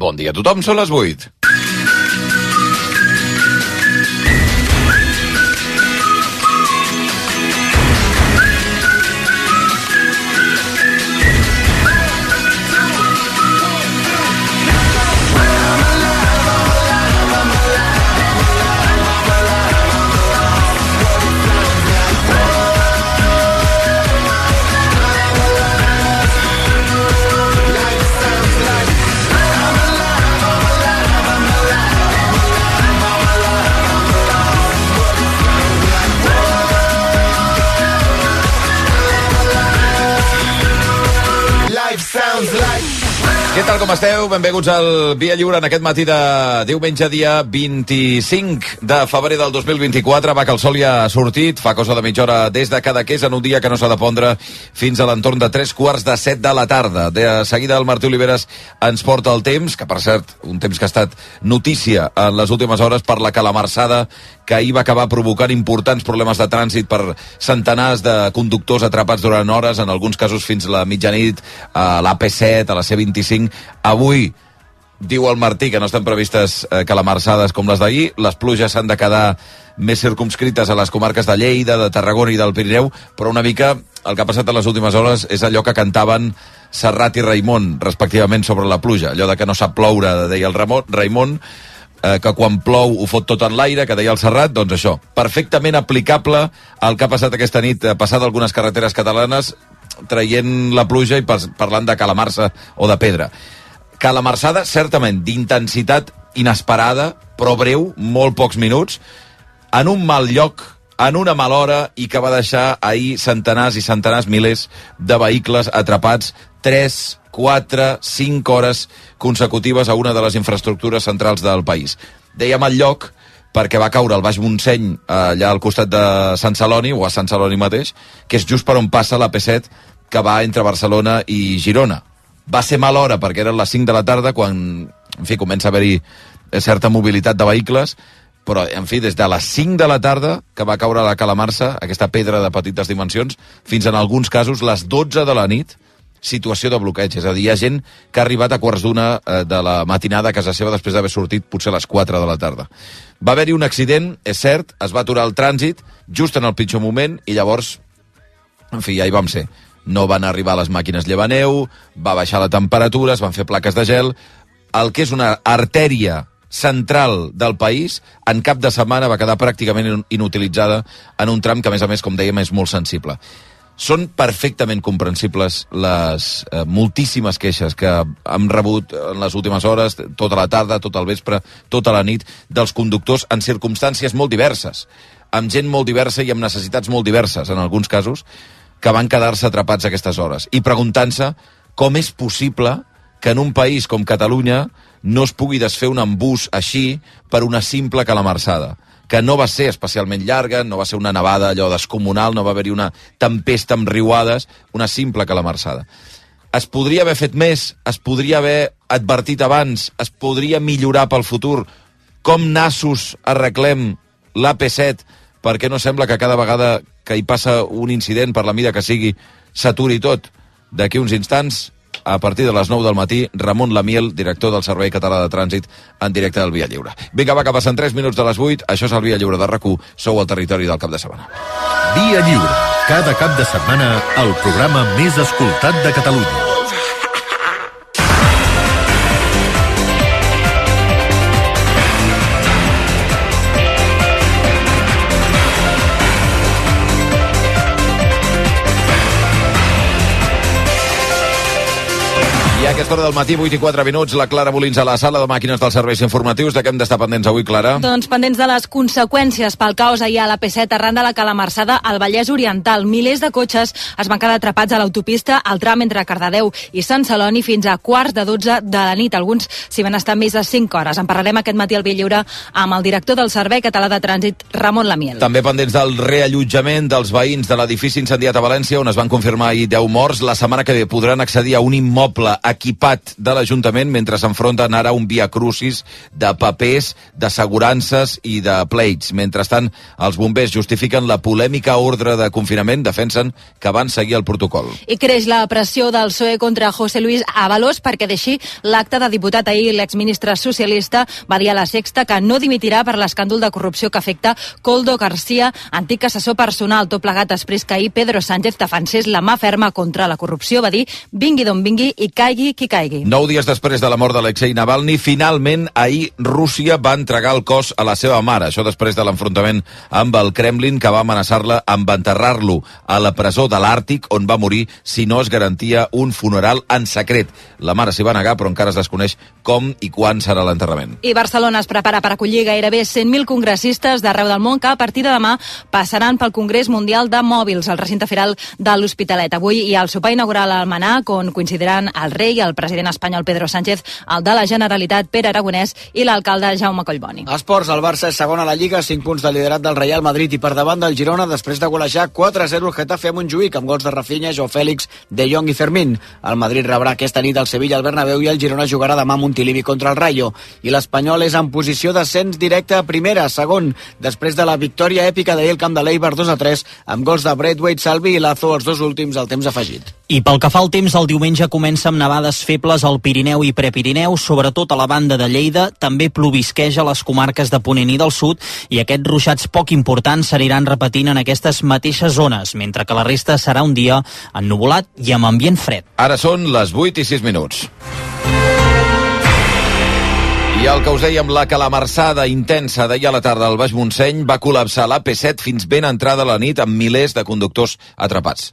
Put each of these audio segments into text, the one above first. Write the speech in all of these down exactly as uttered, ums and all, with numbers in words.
Bon dia a tothom, són les vuit. Què tal, com esteu? Benvinguts al Via Lliure en aquest matí de diumenge, dia vint-i-cinc de febrer del dos mil vint-i-quatre. Va, que el sol ja ha sortit, fa cosa de mitja hora des de Cadaqués, en un dia que no s'ha de pondre fins a l'entorn de tres quarts de set de la tarda. De seguida el Martí Oliveres ens porta el temps, que per cert, un temps que ha estat notícia en les últimes hores per la calamarsada que ahir va acabar provocant importants problemes de trànsit per centenars de conductors atrapats durant hores, en alguns casos fins a la mitjanit, a l'A P set, a la C vint-i-cinc. Avui, diu el Martí, que no estan previstes eh, calamarsades com les d'ahir. Les pluges s'han de quedar més circumscrites a les comarques de Lleida, de Tarragona i del Pirineu, però una mica el que ha passat en les últimes hores és allò que cantaven Serrat i Raimon, respectivament, sobre la pluja. Allò de que no sap ploure, deia el Ramon, Raimon, eh, que quan plou ho fot tot en l'aire, que deia el Serrat. Doncs això, perfectament aplicable al que ha passat aquesta nit, eh, passat algunes carreteres catalanes, traient la pluja i parlant de calamarsa o de pedra. Calamarsada, certament, d'intensitat inesperada, però breu, molt pocs minuts, en un mal lloc, en una mala hora, i que va deixar ahir centenars i centenars, milers de vehicles atrapats tres, quatre, cinc hores consecutives a una de les infraestructures centrals del país. Dèiem el lloc perquè va caure al Baix Montseny, allà al costat de Sant Celoni, o a Sant Celoni mateix, que és just per on passa l'A P set, que va entre Barcelona i Girona. Va ser mala hora perquè eren les cinc de la tarda, quan, en fi, comença a haver-hi certa mobilitat de vehicles, però, en fi, des de les cinc de la tarda, que va caure la calamarsa, aquesta pedra de petites dimensions, fins en alguns casos les dotze de la nit, situació de bloqueig. És a dir, hi ha gent que ha arribat a quarts d'una de la matinada a casa seva després d'haver sortit potser a les quatre de la tarda. Va haver-hi un accident, és cert, es va aturar el trànsit just en el pitjor moment i llavors, en fi, ja hi vam ser. No van arribar les màquines llevaneu, va baixar la temperatura, es van fer plaques de gel. El que és una artèria central del país, en cap de setmana va quedar pràcticament inutilitzada en un tram que, a més a més, com dèiem, és molt sensible. Són perfectament comprensibles les eh, moltíssimes queixes que hem rebut en les últimes hores, tota la tarda, tot el vespre, tota la nit, dels conductors en circumstàncies molt diverses, amb gent molt diversa i amb necessitats molt diverses, en alguns casos, que van quedar-se atrapats a aquestes hores. I preguntant-se com és possible que en un país com Catalunya no es pugui desfer un embús així per una simple calamarsada, que no va ser especialment llarga, no va ser una nevada allò descomunal, no va haver-hi una tempesta amb riuades, una simple calamarsada. Es podria haver fet més, es podria haver advertit abans, es podria millorar pel futur. Com nassos arreglem l'A P set perquè no sembla que cada vegada que hi passa un incident, per la mida que sigui, s'aturi tot? D'aquí uns instants, a partir de les nou del matí, Ramon Lamiel, director del Servei Català de Trànsit, en directe del Via Lliure. Vinga, va, que passen tres minuts de les vuit. Això és el Via Lliure de RAC u. Sou al territori del cap de setmana. Via Lliure. Cada cap de setmana, el programa més escoltat de Catalunya. A aquesta hora del matí, vuit i quatre minuts, la Clara Molins a la sala de màquines dels serveis informatius. De què hem d'estar pendents avui, Clara? Doncs pendents de les conseqüències pel caos ahir a l'A P set arran de la calamarsada al Vallès Oriental. Milers de cotxes es van quedar atrapats a l'autopista al tram entre Cardedeu i Sant Celoni fins a quarts de dotze de la nit. Alguns s'hi van estar més de cinc hores. En parlarem aquest matí al Via Lliure amb el director del Servei Català de Trànsit, Ramon Lamiel. També pendents del reallotjament dels veïns de l'edifici incendiat a València, on es van confirmar ahir deu morts. La setmana que ve podran accedir a un immoble equipat equipat de l'Ajuntament mentre s'enfronten ara un via crucis de papers, d'assegurances i de pleits. Mentrestant, els bombers justifiquen la polèmica ordre de confinament, defensen que van seguir el protocol. I creix la pressió del P S O E contra José Luis Ábalos perquè deixi l'acte de diputat. Ahir l'exministre socialista va dir a La Sexta que no dimitirà per l'escàndol de corrupció que afecta Koldo García, antic assessor personal. Tot plegat després que ahir Pedro Sánchez defensés la mà ferma contra la corrupció. Va dir, vingui d'on vingui i caigui qui caigui. Nou dies després de la mort d'Alexei Navalny, finalment ahir Rússia va entregar el cos a la seva mare. Això després de l'enfrontament amb el Kremlin, que va amenaçar-la amb enterrar-lo a la presó de l'Àrtic, on va morir si no es garantia un funeral en secret. La mare s'hi va negar, però encara es desconeix com i quan serà l'enterrament. I Barcelona es prepara per acollir gairebé cent mil congressistes d'arreu del món que a partir de demà passaran pel Congrés Mundial de Mòbils al recinte firal de l'Hospitalet. Avui hi ha el sopar inaugural al Manac, on coincidiran el rei, el president espanyol Pedro Sánchez, el de la Generalitat Pere Aragonès i l'alcalde Jaume Collboni. Esports, el Barça és segon a la Lliga, cinc punts de liderat del Real Madrid i per davant del Girona després de golejar quatre a zero el Getafe a Montjuïc amb gols de Rafinha, Joao Fèlix, De Jong i Fermín. El Madrid rebrà aquesta nit el Sevilla al Bernabéu i el Girona jugarà demà a Montilivi contra el Rayo. I l'Espanyol és en posició d'ascens directe a primera, segon, després de la victòria èpica d'ahir al camp de l'Eibar dos a tres amb gols de Braithwaite, Salvi i Lazo, els dos últims al temps afegit. I pel que fa al temps, el diumenge comença amb nevades febles al Pirineu i Prepirineu, sobretot a la banda de Lleida, també plovisqueja a les comarques de Ponent i del Sud, i aquests ruixats poc importants s'aniran repetint en aquestes mateixes zones, mentre que la resta serà un dia ennuvolat i amb ambient fred. Ara són les vuit i sis minuts. I el que us dèiem, la calamarsada intensa d'ahir a la tarda al Baix Montseny va col·lapsar l'A P set fins ben entrada la nit amb milers de conductors atrapats.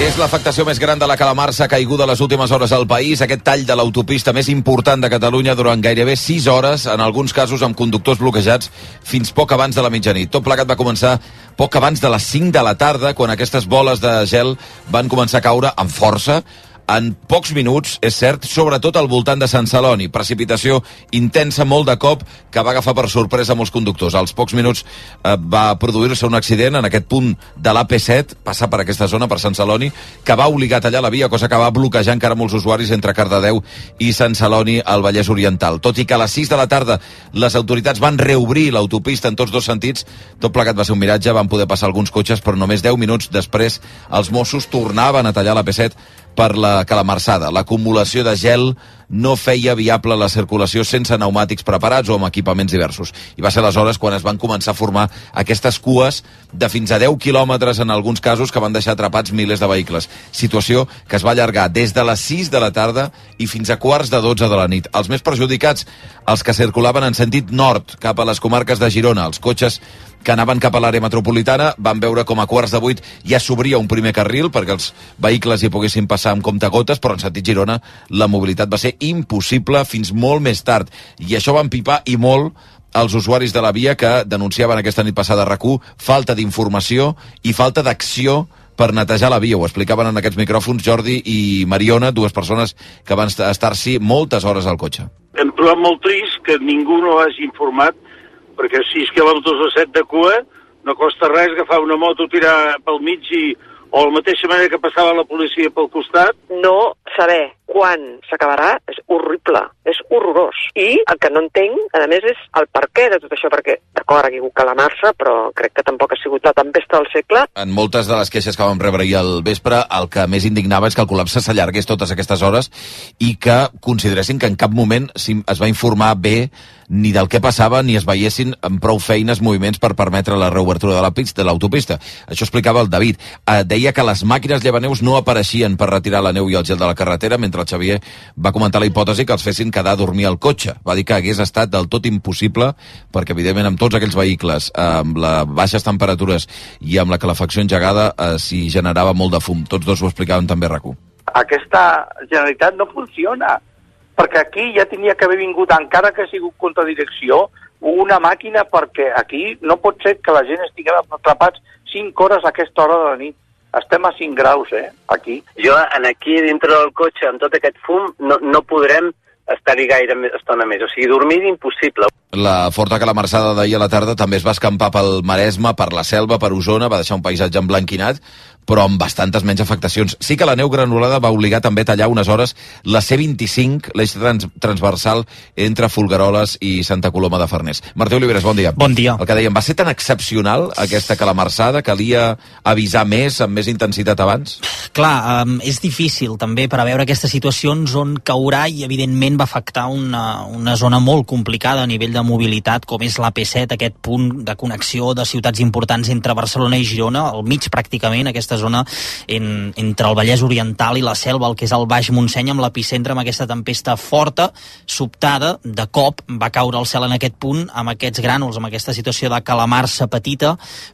És l'afectació més gran de la calamarsa caiguda les últimes hores al país. Aquest tall de l'autopista més important de Catalunya durant gairebé sis hores, en alguns casos amb conductors bloquejats fins poc abans de la mitjanit. Tot plegat va començar poc abans de les cinc de la tarda, quan aquestes boles de gel van començar a caure amb força. En pocs minuts, és cert, sobretot al voltant de Sant Celoni. Precipitació intensa, molt de cop, que va agafar per sorpresa molts conductors. Als pocs minuts eh, va produir-se un accident en aquest punt de l'A P set, passar per aquesta zona, per Sant Celoni, que va obligar a tallar la via, cosa que va bloquejar encara molts usuaris entre Cardedeu i Sant Celoni al Vallès Oriental. Tot i que a les sis de la tarda les autoritats van reobrir l'autopista en tots dos sentits, tot plegat va ser un miratge, van poder passar alguns cotxes, però només deu minuts després els Mossos tornaven a tallar l'A P set per la calamarsada. L'acumulació de gel no feia viable la circulació sense pneumàtics preparats o amb equipaments diversos. I va ser aleshores quan es van començar a formar aquestes cues de fins a deu quilòmetres en alguns casos que van deixar atrapats milers de vehicles. Situació que es va allargar des de les sis de la tarda i fins a quarts de dotze de la nit. Els més perjudicats, els que circulaven en sentit nord cap a les comarques de Girona. Els cotxes que anaven cap a l'àrea metropolitana van veure com a quarts de vuit ja s'obria un primer carril perquè els vehicles hi poguessin passar amb comptagotes, però en sentit Girona la mobilitat va ser impossible fins molt més tard. I això va empipar i molt els usuaris de la via que denunciaven aquesta nit passada a RAC u falta d'informació i falta d'acció per netejar la via. Ho explicaven en aquests micròfons Jordi i Mariona, dues persones que van estar-s'hi moltes hores al cotxe. Hem trobat molt trist que ningú no hagi informat, perquè sis quilòmetres o set de cua no costa res agafar una moto, tirar pel mig i, o de la mateixa manera que passava la policia pel costat. No saber quan s'acabarà és horrible, és horrorós. I el que no entenc, a més, és el perquè de tot això, perquè, d'acord, ha hagut calamarsa, però crec que tampoc ha sigut la tempesta del segle. En moltes de les queixes que vam rebre ahir al vespre, el que més indignava és que el col·lapse s'allargués totes aquestes hores i que consideressin que en cap moment es va informar bé ni del què passava, ni es veiessin amb prou feines moviments per permetre la reobertura de la pista, de l'autopista. Això explicava el David. Eh, deia que les màquines llevaneus no apareixien per retirar la neu i el gel de la carretera, mentre el Xavier va comentar la hipòtesi que els fessin quedar a dormir al cotxe. Va dir que hagués estat del tot impossible, perquè evidentment amb tots aquells vehicles, amb les baixes temperatures i amb la calefacció engegada, eh, s'hi generava molt de fum. Tots dos ho explicaven també a RAC u. Aquesta Generalitat no funciona, perquè aquí ja tenia que haver vingut, encara que ha sigut contradirecció, una màquina, perquè aquí no pot ser que la gent estiguem atrapats cinc hores a aquesta hora de la nit. Estem a cinc graus, eh, aquí. Jo, en aquí, dintre del cotxe, amb tot aquest fum, no, no podrem estar-hi gaire estona més. O sigui, dormir impossible. La forta calamarsada d'ahir a la tarda també es va escampar pel Maresme, per la Selva, per Osona, va deixar un paisatge emblanquinat, però amb bastantes menys afectacions. Sí que la neu granulada va obligar també a tallar unes hores la C vint-i-cinc, l'eix trans transversal entre Folgueroles i Santa Coloma de Farners. Martí Oliveres, bon dia. Bon dia. El que dèiem, va ser tan excepcional aquesta calamarsada, calia avisar més, amb més intensitat abans? Clar, um, és difícil també preveure aquestes situacions on caurà i evidentment va afectar una, una zona molt complicada a nivell de mobilitat, com és l'A P set, aquest punt de connexió de ciutats importants entre Barcelona i Girona, al mig pràcticament, aquesta zona en, entre el Vallès Oriental i la Selva, el que és el Baix Montseny, amb l'epicentre, amb aquesta tempesta forta, sobtada, de cop va caure el cel en aquest punt, amb aquests grànuls, amb aquesta situació de calamarsa petita,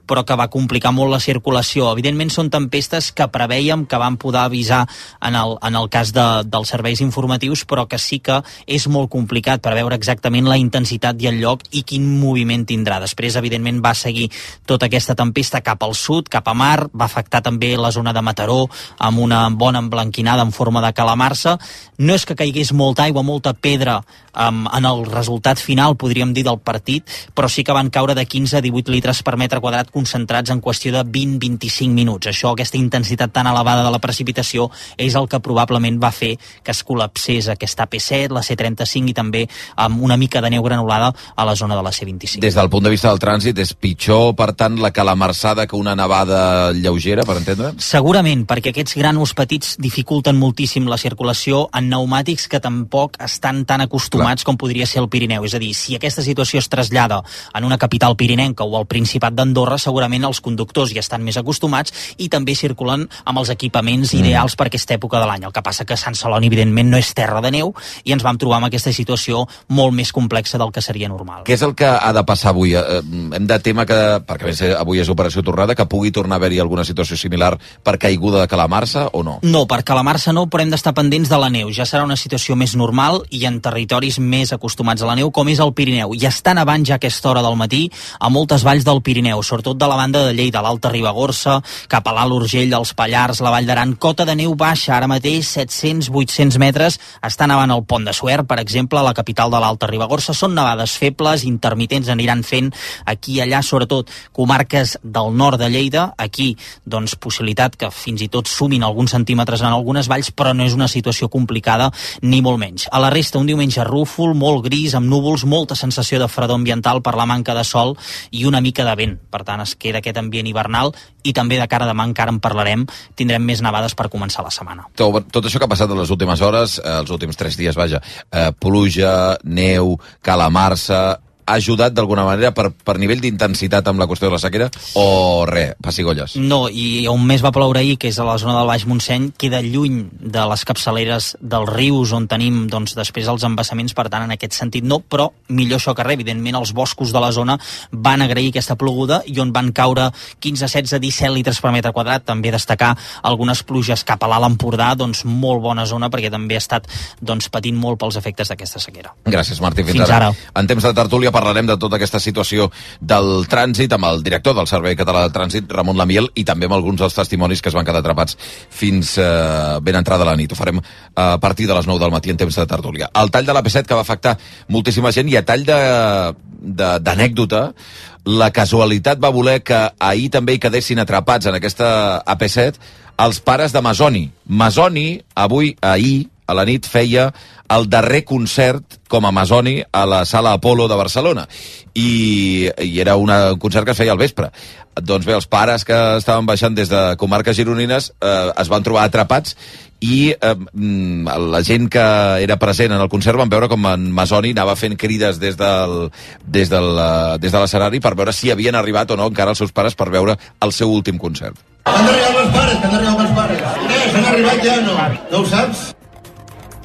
però que va complicar molt la circulació. Evidentment són tempestes que preveiem, que vam poder avisar en el, en el cas de, dels serveis informatius, però que sí que és molt complicat preveure exactament la intensitat i el lloc i quin moviment tindrà. Després, evidentment, va seguir tota aquesta tempesta cap al sud, cap a mar, va afectar també la zona de Mataró amb una bona emblanquinada en forma de calamarsa. No és que caigués molta aigua, molta pedra um, en el resultat final, podríem dir, del partit, però sí que van caure de quinze a divuit litres per metre quadrat concentrats en qüestió de vint a vint-i-cinc minuts. Això, aquesta intensitat tan elevada de la precipitació, és el que probablement va fer que es col·lapsés aquesta A P set, la C trenta-cinc i també amb una mica de neu granulada a la zona de la C vint-i-cinc. Des del punt de vista del trànsit, és pitjor, per tant, la calamarsada que una nevada lleugera, per entendre? Segurament, perquè aquests grànuls petits dificulten moltíssim la circulació en pneumàtics que tampoc estan tan acostumats Clar. com podria ser el Pirineu. És a dir, si aquesta situació es trasllada en una capital pirinenca o al Principat d'Andorra, segurament els conductors hi estan més acostumats i també circulen amb els equipaments mm. ideals per aquesta època de l'any. El que passa que Sant Celoni, evidentment, no és terra de neu i ens vam trobar amb aquesta situació molt més complexa del que seria normal. Què és el que ha de passar avui? Eh, hem de tema que, perquè avui és operació tornada, que pugui tornar a haver-hi alguna situació similar per caiguda de calamarsa o no? No, per calamarsa no, però hem d'estar pendents de la neu. Ja serà una situació més normal i en territoris més acostumats a la neu, com és el Pirineu. I està nevant ja a aquesta hora del matí a moltes valls del Pirineu, sobretot de la banda de Lleida, l'Alta Ribagorça, cap a l'Alt Urgell, els Pallars, la Vall d'Aran. Cota de neu baixa, ara mateix set-cents a vuit-cents metres. Està nevant al Pont de Suert, per exemple, a la capital de l'Alta Ribagorça. Són nevades febles, intermitents, aniran fent aquí i allà, sobretot comarques del nord de Lleida. Aquí, doncs, possibilitat que fins i tot sumin alguns centímetres en algunes valls, però no és una situació complicada ni molt menys. A la resta, un diumenge rúfol, molt gris, amb núvols, molta sensació de fredor ambiental per la manca de sol i una mica de vent. Per tant, es queda aquest ambient hivernal i també de cara a demà encara en parlarem. Tindrem més nevades per començar la setmana. Tot, tot això que ha passat en les últimes hores, eh, els últims tres dies, vaja, eh, pluja, neu, calamarsa, ha ajudat d'alguna manera per, per nivell d'intensitat amb la qüestió de la sequera o res, pessigolles? No, i on més va ploure ahir, que és a la zona del Baix Montseny, queda lluny de les capçaleres dels rius on tenim doncs, després els embassaments, per tant en aquest sentit no, però millor això que res. Evidentment els boscos de la zona van agrair aquesta ploguda i on van caure quinze, setze, disset litres per metre quadrat. També destacar algunes pluges cap a l'Alt Empordà, doncs molt bona zona perquè també ha estat doncs, patint molt pels efectes d'aquesta sequera. Gràcies, Martí. Fins, Fins ara. ara. En temps de tertúlia parlarem de tota aquesta situació del trànsit amb el director del Servei Català de Trànsit, Ramon Lamiel, i també amb alguns dels testimonis que es van quedar atrapats fins eh, ben entrada la nit. Ho farem a partir de les nou del matí en temps de tertúlia. El tall de l'A P set que va afectar moltíssima gent i a tall d'anècdota, la casualitat va voler que ahir també hi quedessin atrapats en aquesta A P set els pares de Masoni. Masoni, avui, ahir, a la nit, feia el darrer concert com a Masoni a la Sala Apolo de Barcelona. I, i era una, un concert que es feia al vespre. Doncs bé, els pares que estaven baixant des de comarques gironines eh, es van trobar atrapats i eh, la gent que era present en el concert van veure com en Masoni anava fent crides des del, des del, des de l'escenari per veure si havien arribat o no encara els seus pares per veure el seu últim concert. Han arribat els pares, que han arribat els pares. Eh, s'han arribat ja, no? No ho saps?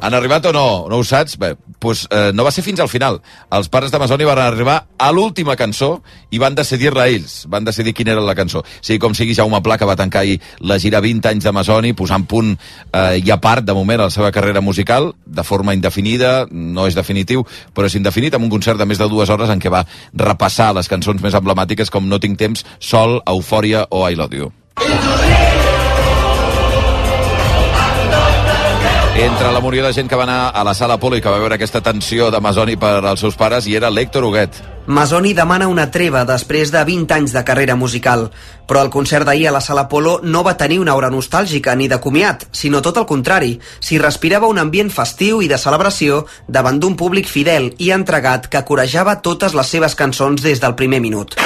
Han arribat o no? No ho saps? Bé, doncs eh, no va ser fins al final. Els pares de Masoni van arribar a l'última cançó i van decidir-la ells. Van decidir quina era la cançó. Sí, com sigui, Jaume Pla, que va tancar ahir la gira vint anys de Masoni, posant punt eh, i a part, de moment, a la seva carrera musical, de forma indefinida, no és definitiu, però és indefinit, amb un concert de més de dues hores en què va repassar les cançons més emblemàtiques com No tinc temps, Sol, Eufòria o I Love You. Entre la munió de gent que va anar a la sala Apolo i que va veure aquesta tensió de Masoni per als seus pares hi era l'Héctor Huguet. Masoni demana una treva després de vint anys de carrera musical, però el concert d'ahir a la sala Apolo no va tenir una aura nostàlgica ni de comiat, sinó tot el contrari. S'hi respirava un ambient festiu i de celebració davant d'un públic fidel i entregat que corejava totes les seves cançons des del primer minut.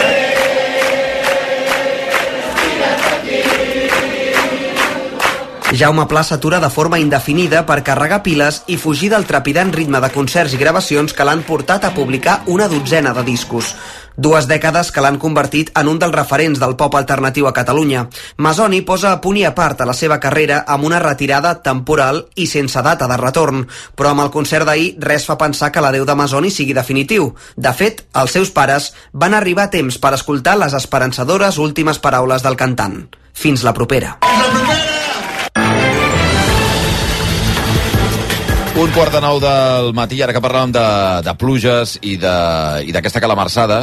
Jaume Pla s'atura de forma indefinida per carregar piles i fugir del trepidant ritme de concerts i gravacions que l'han portat a publicar una dotzena de discos. Dues dècades que l'han convertit en un dels referents del pop alternatiu a Catalunya. Masoni posa a punt i a part a la seva carrera amb una retirada temporal i sense data de retorn, però amb el concert d'ahir res fa pensar que l'adeu de Masoni sigui definitiu. De fet, els seus pares van arribar a temps per escoltar les esperançadores últimes paraules del cantant. Fins la propera. Un quart de nou del matí, ara que parlàvem de, de pluges i d'aquesta calamarsada,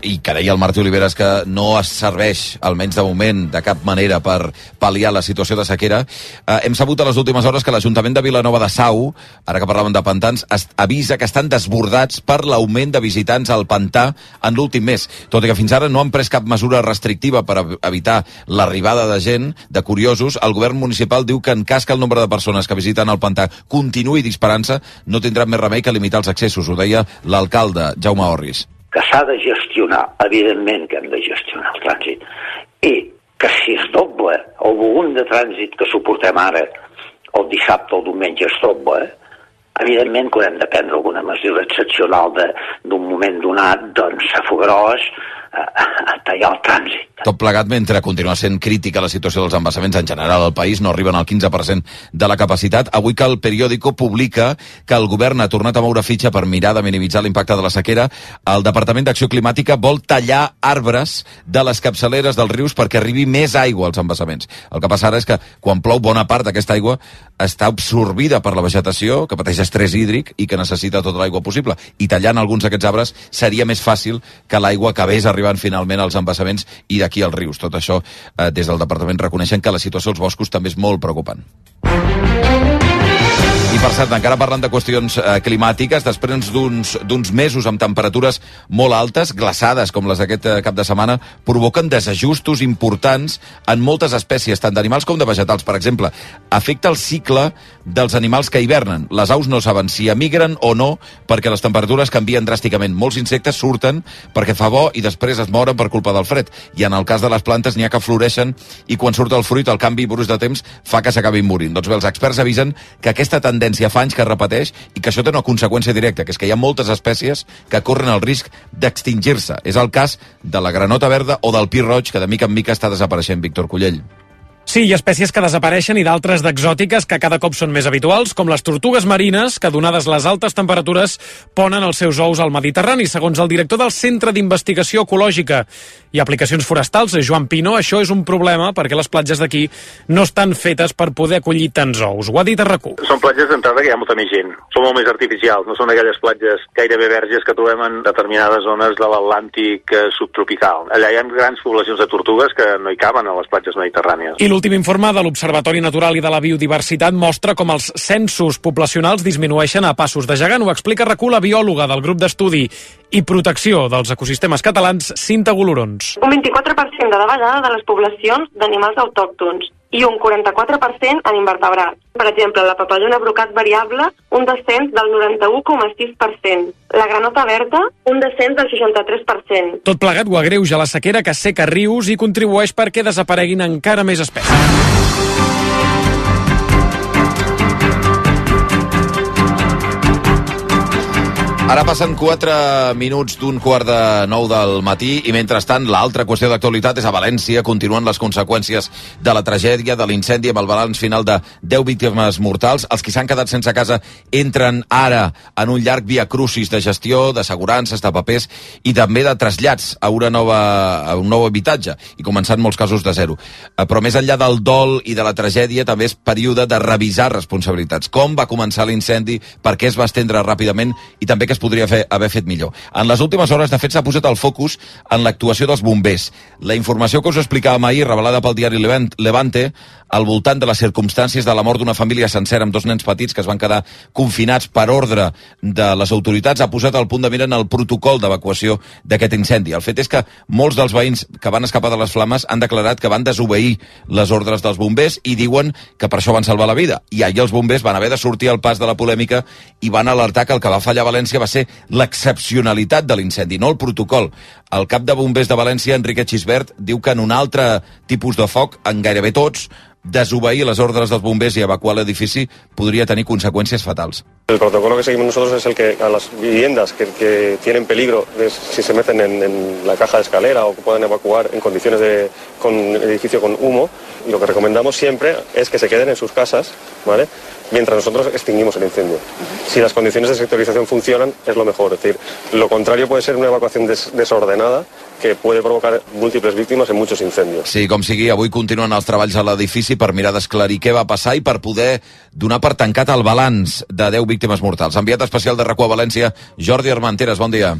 i que deia el Martí Oliveres que no es serveix, almenys de moment, de cap manera per pal·liar la situació de sequera, eh, hem sabut a les últimes hores que l'Ajuntament de Vilanova de Sau, ara que parlàvem de pantans, es, avisa que estan desbordats per l'augment de visitants al pantà en l'últim mes. Tot i que fins ara no han pres cap mesura restrictiva per evitar l'arribada de gent, de curiosos, el govern municipal diu que en cas que el nombre de persones que visiten el pantà continuï disparant-se, no tindran més remei que limitar els accessos, ho deia l'alcalde Jaume Orris. Que s'ha de gestionar, evidentment que hem de gestionar el trànsit, i que si es doble el volum de trànsit que suportem ara, el dissabte o el diumenge es doble, evidentment que hem de prendre alguna mesura excepcional d'un moment donat, doncs a Fogarós, a tallar el trànsit. Tot plegat mentre continua sent crítica la situació dels embassaments en general al país, no arriben al quinze per cent de la capacitat. Avui que el periòdico publica que el govern ha tornat a moure fitxa per mirar de minimitzar l'impacte de la sequera, el Departament d'Acció Climàtica vol tallar arbres de les capçaleres dels rius perquè arribi més aigua als embassaments. El que passa ara és que quan plou bona part d'aquesta aigua està absorbida per la vegetació, que pateix estrès hídric i que necessita tota l'aigua possible. I tallant alguns d'aquests arbres seria més fàcil que l'aigua acabés arribant finalment als embassaments i d'aquí als rius. Tot això, eh, des del departament reconeixen que la situació als boscos també és molt preocupant. I per cert, encara parlant de qüestions eh, climàtiques, després d'uns d'uns mesos amb temperatures molt altes, glaçades com les d'aquest eh, cap de setmana, provoquen desajustos importants en moltes espècies, tant d'animals com de vegetals. Per exemple, afecta el cicle dels animals que hivernen. Les aus no saben si emigren o no perquè les temperatures canvien dràsticament. Molts insectes surten perquè fa bo i després es moren per culpa del fred. I en el cas de les plantes n'hi ha que floreixen i quan surt el fruit el canvi brusc de temps fa que s'acabin morint. Doncs bé, els experts avisen que aquesta tendència fa anys que es repeteix i que això té una conseqüència directa, que és que hi ha moltes espècies que corren el risc d'extingir-se. És el cas de la granota verda o del pi roig, que de mica en mica està desapareixent. Víctor Cullell. Sí, hi ha espècies que desapareixen i d'altres d'exòtiques que cada cop són més habituals, com les tortugues marines, que donades les altes temperatures ponen els seus ous al Mediterrani. Segons el director del Centre d'Investigació Ecològica i Aplicacions Forestals, Joan Pino, això és un problema perquè les platges d'aquí no estan fetes per poder acollir tants ous. Ho ha dit a RAC u. Són platges d'entrada que hi ha molta més gent. Són molt més artificials, no són aquelles platges gairebé verges que trobem en determinades zones de l'Atlàntic subtropical. Allà hi ha grans poblacions de tortugues que no hi caben a les platges mediterrànies. I l'últim informe de l'Observatori Natural i de la Biodiversitat mostra com els censos poblacionals disminueixen a passos de gegant. Ho explica RAC u la biòloga del grup d'estudi i protecció dels ecosistemes catalans, Cinta Golorons. Un vint-i-quatre per cent de davallada de les poblacions d'animals autòctons i un quaranta-quatre per cent en invertebrats. Per exemple, la papallona brocat variable, un descens del noranta-u coma sis per cent. La granota verda, un descens del seixanta-tres per cent. Tot plegat ho agreuja la sequera que seca rius i contribueix perquè desapareguin encara més espècies. Ara passen quatre minuts d'un quart de nou del matí i, mentrestant, l'altra qüestió d'actualitat és a València. Continuen les conseqüències de la tragèdia, de l'incendi, amb el balanç final de deu víctimes mortals. Els que s'han quedat sense casa entren ara en un llarg via crucis de gestió, d'assegurances, de papers i també de trasllats a, una nova, a un nou habitatge i començant molts casos de zero. Però més enllà del dol i de la tragèdia, també és període de revisar responsabilitats. Com va començar l'incendi, per què es va estendre ràpidament i també que es podria fer, haver fet millor. En les últimes hores, de fet, s'ha posat el focus en l'actuació dels bombers. La informació que us explicàvem ahir, revelada pel diari Levante, al voltant de les circumstàncies de la mort d'una família sencera amb dos nens petits que es van quedar confinats per ordre de les autoritats, ha posat al punt de mira en el protocol d'evacuació d'aquest incendi. El fet és que molts dels veïns que van escapar de les flames han declarat que van desobeir les ordres dels bombers i diuen que per això van salvar la vida. I ahir els bombers van haver de sortir al pas de la polèmica i van alertar que el que va fallar a València va ser l'excepcionalitat de l'incendi, no el protocol. El cap de bombers de València, Enrique Xisbert, diu que en un altre tipus de foc, en gairebé tots, desobeir les ordres dels bombers i evacuar l'edifici podria tenir conseqüències fatals. El protocolo que seguimos nosotros es el que a las viviendas que, que tienen peligro, de, si se meten en, en la caja de escalera o que puedan evacuar en condiciones de con edificio con humo, y lo que recomendamos siempre es que se queden en sus casas, ¿vale?, mientras nosotros extinguimos el incendio. Si las condiciones de sectorización funcionan, es lo mejor. Es decir, lo contrario puede ser una evacuación des desordenada que puede provocar múltiples víctimes en muchos incendios. Sí, com sigui, avui continuen els treballs a l'edifici per mirar d'esclarir què va passar i per poder donar per tancat el balanç de deu víctimes mortals. Enviat especial de RAC u a València, Jordi Armenteres, bon dia.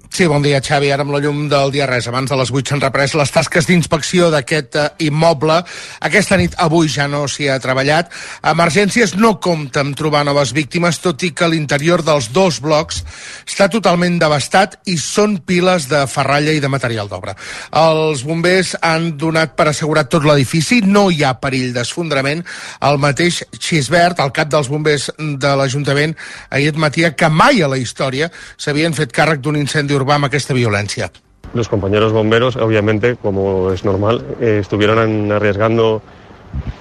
Sí, bon dia, Xavi. Ara amb la llum del dia res. Abans de les vuit s'han reprès les tasques d'inspecció d'aquest uh, immoble. Aquesta nit, avui, ja no s'hi ha treballat. Emergències no compta amb trobar noves víctimes, tot i que l'interior dels dos blocs està totalment devastat i són piles de ferralla i de material d'obra. Els bombers han donat per assegurat tot l'edifici, no hi ha perill d'esfondrament. El mateix Xisbert, el cap dels bombers de l'Ajuntament, ahir admetia que mai a la història s'havien fet càrrec d'un incendi urbà amb aquesta violència. Los compañeros bomberos, obviamente, como es normal, eh, estuvieron arriesgando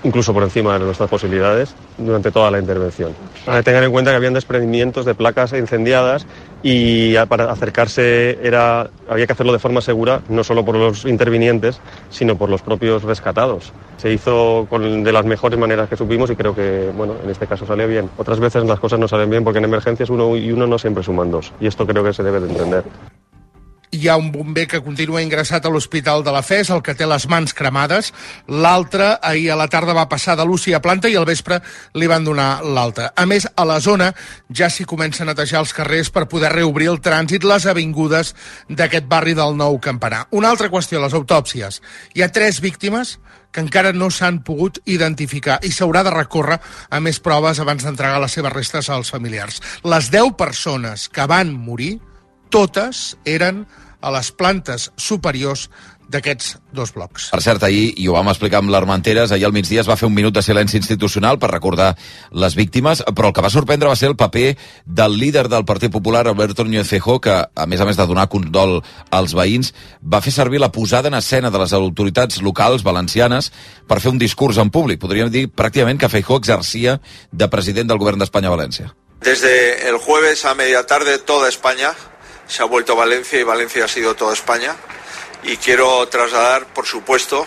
incluso por encima de nuestras posibilidades durante toda la intervención. Eh, tengan en cuenta que habían desprendimientos de placas incendiadas y para acercarse era, había que hacerlo de forma segura, no solo por los intervinientes, sino por los propios rescatados. Se hizo con, de las mejores maneras que supimos y creo que, bueno, en este caso salió bien. Otras veces las cosas no salen bien porque en emergencias uno y uno no siempre suman dos. Y esto creo que se debe de entender. Hi ha un bomber que continua ingressat a l'Hospital de la F E S, el que té les mans cremades. L'altre, ahir a la tarda, va passar de l'U C I a planta i al vespre li van donar l'alta. A més, a la zona ja s'hi comença a netejar els carrers per poder reobrir el trànsit, les avingudes d'aquest barri del Nou Campanar. Una altra qüestió, les autòpsies. Hi ha tres víctimes que encara no s'han pogut identificar i s'haurà de recórrer a més proves abans d'entregar les seves restes als familiars. Les deu persones que van morir, totes eren a les plantes superiors d'aquests dos blocs. Per cert, ahir, i ho vam explicar amb l'Armenteres, ahir al migdia es va fer un minut de silenci institucional per recordar les víctimes, però el que va sorprendre va ser el paper del líder del Partit Popular, Alberto Núñez Feijóo, que, a més a més de donar condol als veïns, va fer servir la posada en escena de les autoritats locals valencianes per fer un discurs en públic. Podríem dir pràcticament que Feijóo exercia de president del govern d'Espanya a València. Desde el jueves a media tarde toda España se ha vuelto Valencia y Valencia ha sido toda España. Y quiero trasladar, por supuesto,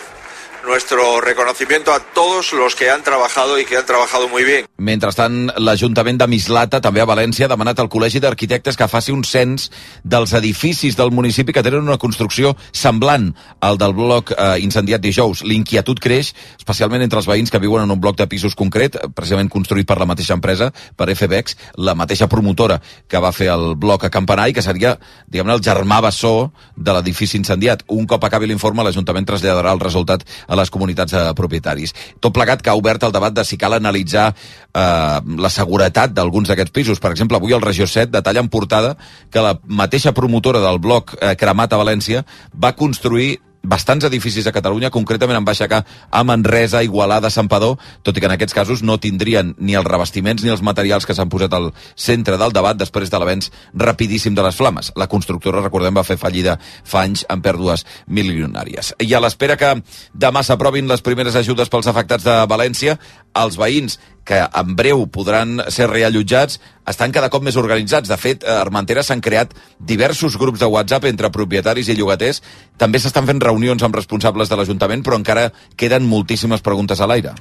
nuestro reconocimiento a todos los que han trabajado y que han trabajado muy bien. Mentrestant, l'Ajuntament de Mislata, també a València, ha demanat al Col·legi d'Arquitectes que faci un cens dels edificis del municipi que tenen una construcció semblant al del bloc eh, incendiat dijous. L'inquietud creix, especialment entre els veïns que viuen en un bloc de pisos concret, precisament construït per la mateixa empresa, per F B X, la mateixa promotora que va fer el bloc a Campanar i que seria, diguem-ne, el germà bessó de l'edifici incendiat. Un cop acabi l'informe, l'Ajuntament traslladarà el resultat a les comunitats de propietaris. Tot plegat que ha obert el debat de si cal analitzar eh, la seguretat d'alguns d'aquests pisos. Per exemple, avui el Regió set detalla en portada que la mateixa promotora del bloc eh, cremat a València va construir bastants edificis a Catalunya, concretament en Baixacà, a Manresa, Igualada, Santpedor, tot i que en aquests casos no tindrien ni els revestiments ni els materials que s'han posat al centre del debat després de l'avenç rapidíssim de les flames. La constructora, recordem, va fer fallida fa anys amb pèrdues milionàries. I a l'espera que demà s'aprovin les primeres ajudes pels afectats de València, els veïns que en breu podran ser reallotjats estan cada cop més organitzats. De fet, a Armenteres s'han creat diversos grups de WhatsApp entre propietaris i llogaters. També s'estan fent reunions amb responsables de l'Ajuntament, però encara queden moltíssimes preguntes a l'aire.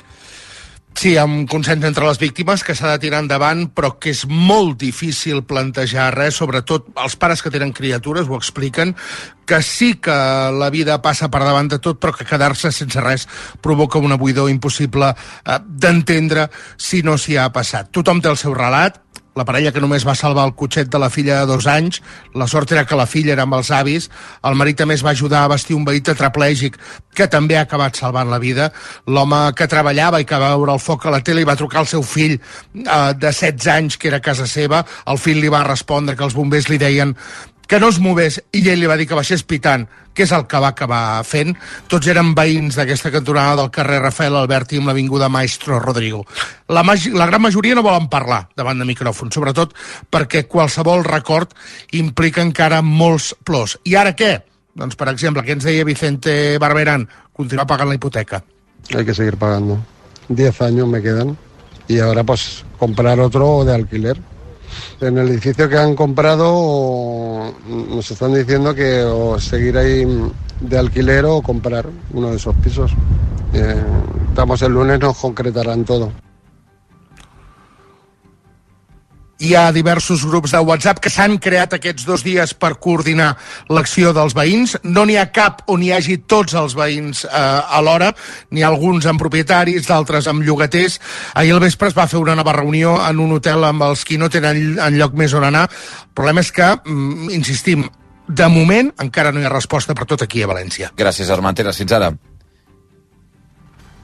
Sí, amb consens entre les víctimes que s'ha de tirar endavant, però que és molt difícil plantejar res, sobretot els pares que tenen criatures ho expliquen, que sí que la vida passa per davant de tot, però que quedar-se sense res provoca una buidor impossible eh, d'entendre si no s'hi ha passat. Tothom té el seu relat, la parella que només va salvar el cotxet de la filla de dos anys. La sort era que la filla era amb els avis. El marit també es va ajudar a vestir un veí tetraplègic que també ha acabat salvant la vida. L'home que treballava i que va veure el foc a la tele i va trucar al seu fill eh, de setze anys, que era a casa seva. El fill li va respondre que els bombers li deien que no es movés, i ell li va dir que baixés pitant, que és el que va acabar fent. Tots eren veïns d'aquesta cantonada del carrer Rafael Alberti amb l'avinguda Maestro Rodrigo. La, la gran majoria no volen parlar davant de micròfon, sobretot perquè qualsevol record implica encara molts plors. I ara què? Doncs, per exemple, què ens deia Vicente Barberán? Continuar pagant la hipoteca. Hay que seguir pagando. Diez años me quedan y ahora pues comprar otro de alquiler. En el edificio que han comprado nos están diciendo que o seguir ahí de alquiler o comprar uno de esos pisos. Eh, estamos el lunes, nos concretarán todo. Hi ha diversos grups de WhatsApp que s'han creat aquests dos dies per coordinar l'acció dels veïns. No n'hi ha cap on hi hagi tots els veïns eh, alhora, n'hi ha alguns amb propietaris, d'altres amb llogaters. Ahir al vespre es va fer una nova reunió en un hotel amb els qui no tenen enlloc més on anar. El problema és que, mm, insistim, de moment encara no hi ha resposta per tot aquí a València. Gràcies, Armentera. Fins ara.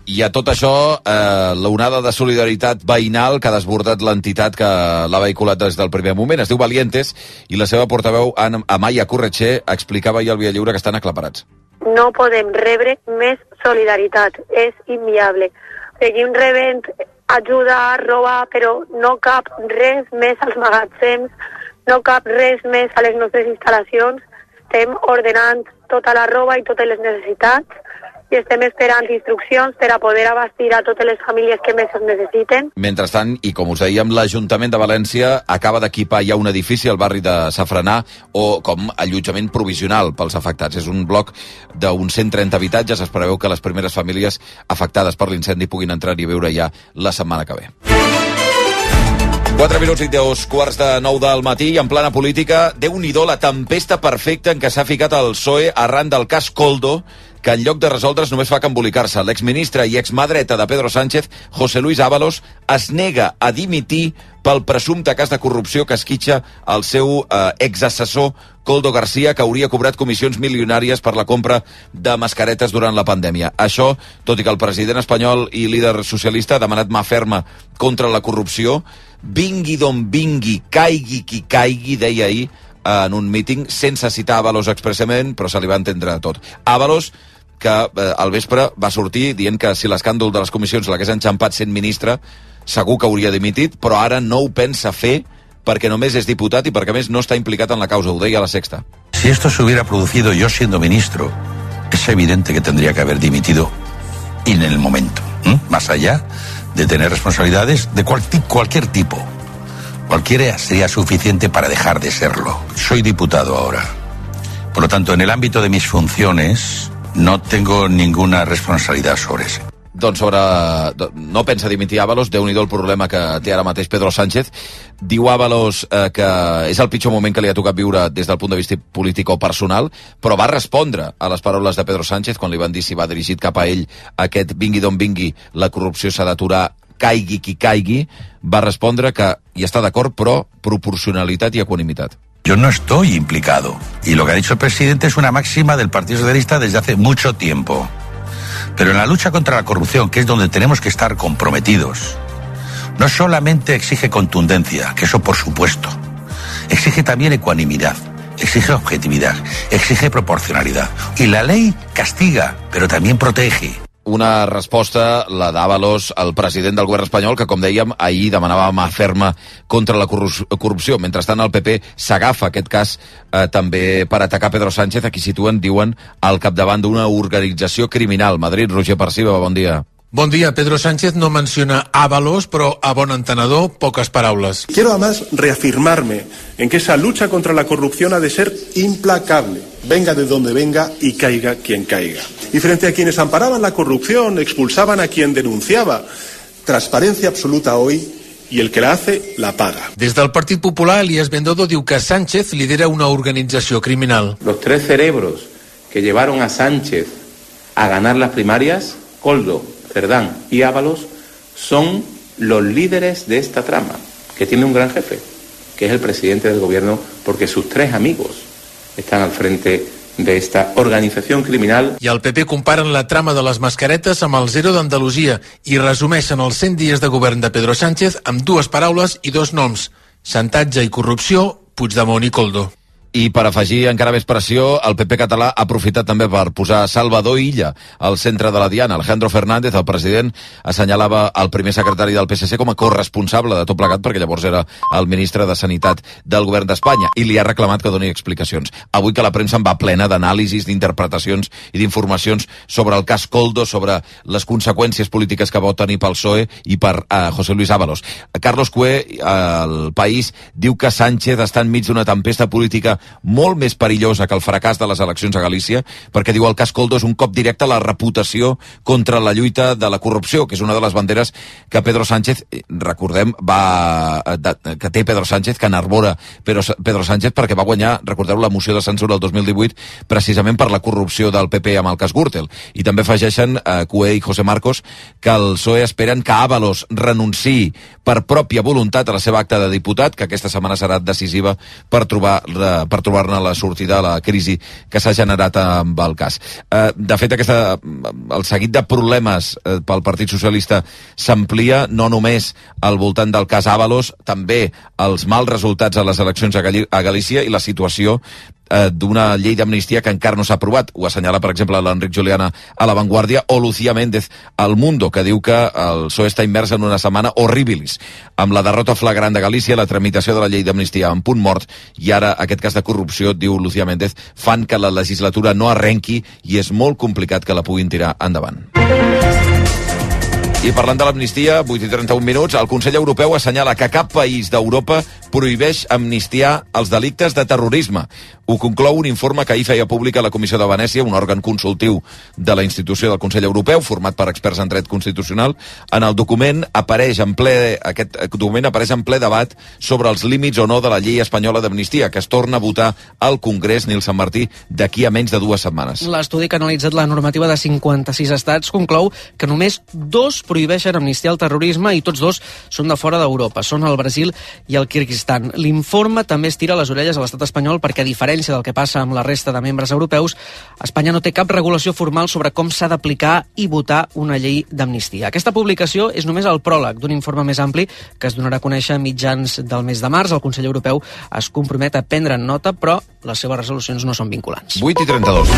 I a tot això, eh, l'onada de solidaritat veïnal que ha desbordat l'entitat que l'ha vehiculat des del primer moment. Es diu Valientes i la seva portaveu, Amaya Corretxer, explicava ahir al Via Lliure que estan aclaparats. No podem rebre més solidaritat, és inviable. Seguim rebent ajuda, roba, però no cap res més als magatzems, no cap res més a les nostres instal·lacions. Estem ordenant tota la roba i totes les necessitats i estem esperant instruccions per a poder abastir a totes les famílies que més es necessiten. Mentrestant, i com us dèiem, l'Ajuntament de València acaba d'equipar ja un edifici al barri de Safranar o com allotjament provisional pels afectats. És un bloc d'uns cent trenta habitatges. Es preveu que les primeres famílies afectades per l'incendi puguin entrar-hi a viure ja la setmana que ve. quatre minuts i dos quarts de nou del matí i en plana política, Déu-n'hi-do la tempesta perfecta en què s'ha ficat el P S O E arran del cas Koldo, que en lloc de resoldre's només fa que embolicar-se. L'exministre i exmà dreta de Pedro Sánchez, José Luis Ábalos, es nega a dimitir pel presumpte cas de corrupció que esquitxa el seu eh, exassessor Koldo García, que hauria cobrat comissions milionàries per la compra de mascaretes durant la pandèmia. Això, tot i que el president espanyol i líder socialista ha demanat mà ferma contra la corrupció, vingui d'on vingui, caigui qui caigui, deia ahir en un míting, sense citar Ábalos expressament, però se li va entendre tot. Ábalos, que eh, al vespre va sortir dient que si l'escàndol de les comissions l'hagués enxampat sent ministre, segur que hauria dimitit, però ara no ho pensa fer perquè només és diputat i perquè més no està implicat en la causa, ho deia a La Sexta. Si esto se hubiera producido yo siendo ministro, es evidente que tendría que haber dimitido en el momento, ¿eh? Más allá de tener responsabilidades de cual, cualquier tipo. Cualquiera sería suficiente para dejar de serlo. Soy diputado ahora. Por lo tanto, en el ámbito de mis funciones, no tengo ninguna responsabilidad sobre eso. Doncs sobre... No pensa dimitir Ábalos, Déu-n'hi-do el problema que té ara mateix Pedro Sánchez. Diu Ábalos eh, que és el pitjor moment que li ha tocat viure des del punt de vista polític o personal, però va respondre a les paraules de Pedro Sánchez quan li van dir si va dirigit cap a ell aquest vingui d'on vingui, la corrupció s'ha d'aturar, caigui qui caigui, va respondre que hi està d'acord, però proporcionalitat i equanimitat. Yo no estoy implicado. Y lo que ha dicho el presidente es una máxima del Partido Socialista desde hace mucho tiempo. Pero en la lucha contra la corrupción, que es donde tenemos que estar comprometidos, no solamente exige contundencia, que eso por supuesto, exige también ecuanimidad, exige objetividad, exige proporcionalidad. Y la ley castiga, pero también protege. Una resposta, la d'Ábalos, al president del govern espanyol, que, com dèiem, ahir demanava mà ferma contra la corrupció. Mentrestant, el P P s'agafa aquest cas eh, també per atacar Pedro Sánchez, a qui situen, diuen, al capdavant d'una organització criminal. Madrid, Roger Perciba, bon dia. Bon dia. Pedro Sánchez no menciona Ábalos, però a bon entenedor, poques paraules. Quiero además reafirmarme en que esa lucha contra la corrupción ha de ser implacable, venga de donde venga y caiga quien caiga. Y frente a quienes amparaban la corrupción, expulsaban a quien denunciaba, transparencia absoluta hoy, y el que la hace, la paga. Des del Partit Popular, Elías Bendodo diu que Sánchez lidera una organització criminal. Los tres cerebros que llevaron a Sánchez a ganar las primarias, Koldo, Cerdán y Ábalos, son los líderes de esta trama. que tiene un gran jefe, que es el presidente del gobierno, porque sus tres amigos están al frente de esta organizació criminal. I el P P comparen la trama de les mascaretes amb el Zero d'Andalusia i resumeixen els cent dies de govern de Pedro Sánchez amb dues paraules i dos noms: xantatge i corrupció, Puigdemont i Koldo. I per afegir encara més pressió, el P P català ha aprofitat també per posar Salvador Illa al centre de la diana. Alejandro Fernández, el president, assenyalava el primer secretari del P S C com a corresponsable de tot plegat, perquè llavors era el ministre de Sanitat del govern d'Espanya, i li ha reclamat que doni explicacions. Avui que la premsa en va plena d'anàlisis, d'interpretacions i d'informacions sobre el cas Koldo, sobre les conseqüències polítiques que pot tenir pel P S O E i per uh, José Luis Ábalos. Carlos Cué, al País, diu que Sánchez està enmig d'una tempesta política molt més perillosa que el fracàs de les eleccions a Galícia, perquè diu el cas Koldo és un cop directe a la reputació contra la lluita de la corrupció, que és una de les banderes que Pedro Sánchez, recordem, va que té Pedro Sánchez, que enarbora Pedro Sánchez perquè va guanyar, recordeu, la moció de censura el dos mil divuit precisament per la corrupció del P P amb el cas Gürtel. I també afegeixen eh, Cué i José Marcos que el P S O E esperen que Ábalos renunciï per pròpia voluntat a la seva acta de diputat, que aquesta setmana serà decisiva per trobar per trobar-ne la sortida a la crisi que s'ha generat amb el cas. Eh, de fet, aquesta, el seguit de problemes eh, pel Partit Socialista s'amplia no només al voltant del cas Ábalos, també els mals resultats a les eleccions a, Gal a Galícia i la situació eh, d'una llei d'amnistia que encara no s'ha aprovat. Ho assenyala, per exemple, l'Enric Juliana a La Vanguardia, o Lucía Méndez al Mundo, que diu que el P S O E està immers en una setmana horribilis, amb la derrota flagrant de Galícia, la tramitació de la llei d'amnistia en punt mort, i ara aquest cas de corrupció, diu Lucía Méndez, fan que la legislatura no arrenqui i és molt complicat que la puguin tirar endavant. I parlant de l'amnistia, vuit i trenta-un minuts, el Consell Europeu assenyala que cap país d'Europa prohibeix amnistiar els delictes de terrorisme. Ho conclou un informe que ahir feia pública la Comissió de Venècia, un òrgan consultiu de la institució del Consell Europeu, format per experts en dret constitucional. En el document apareix en ple, aquest document apareix en ple debat sobre els límits o no de la llei espanyola d'amnistia, que es torna a votar al Congrés, Nil Sant Martí, d'aquí a menys de dues setmanes. L'estudi que ha analitzat la normativa de cinquanta-sis estats conclou que només dos prohibeixen amnistiar el terrorisme i tots dos són de fora d'Europa, són el Brasil i el Kirguistan. L'informe també es tira les orelles a l'estat espanyol perquè, a diferència del que passa amb la resta de membres europeus, Espanya no té cap regulació formal sobre com s'ha d'aplicar i votar una llei d'amnistia. Aquesta publicació és només el pròleg d'un informe més ampli que es donarà a conèixer a mitjans del mes de març. El Consell Europeu es compromet a prendre nota, però les seves resolucions no són vinculants. vuit i trenta-dos.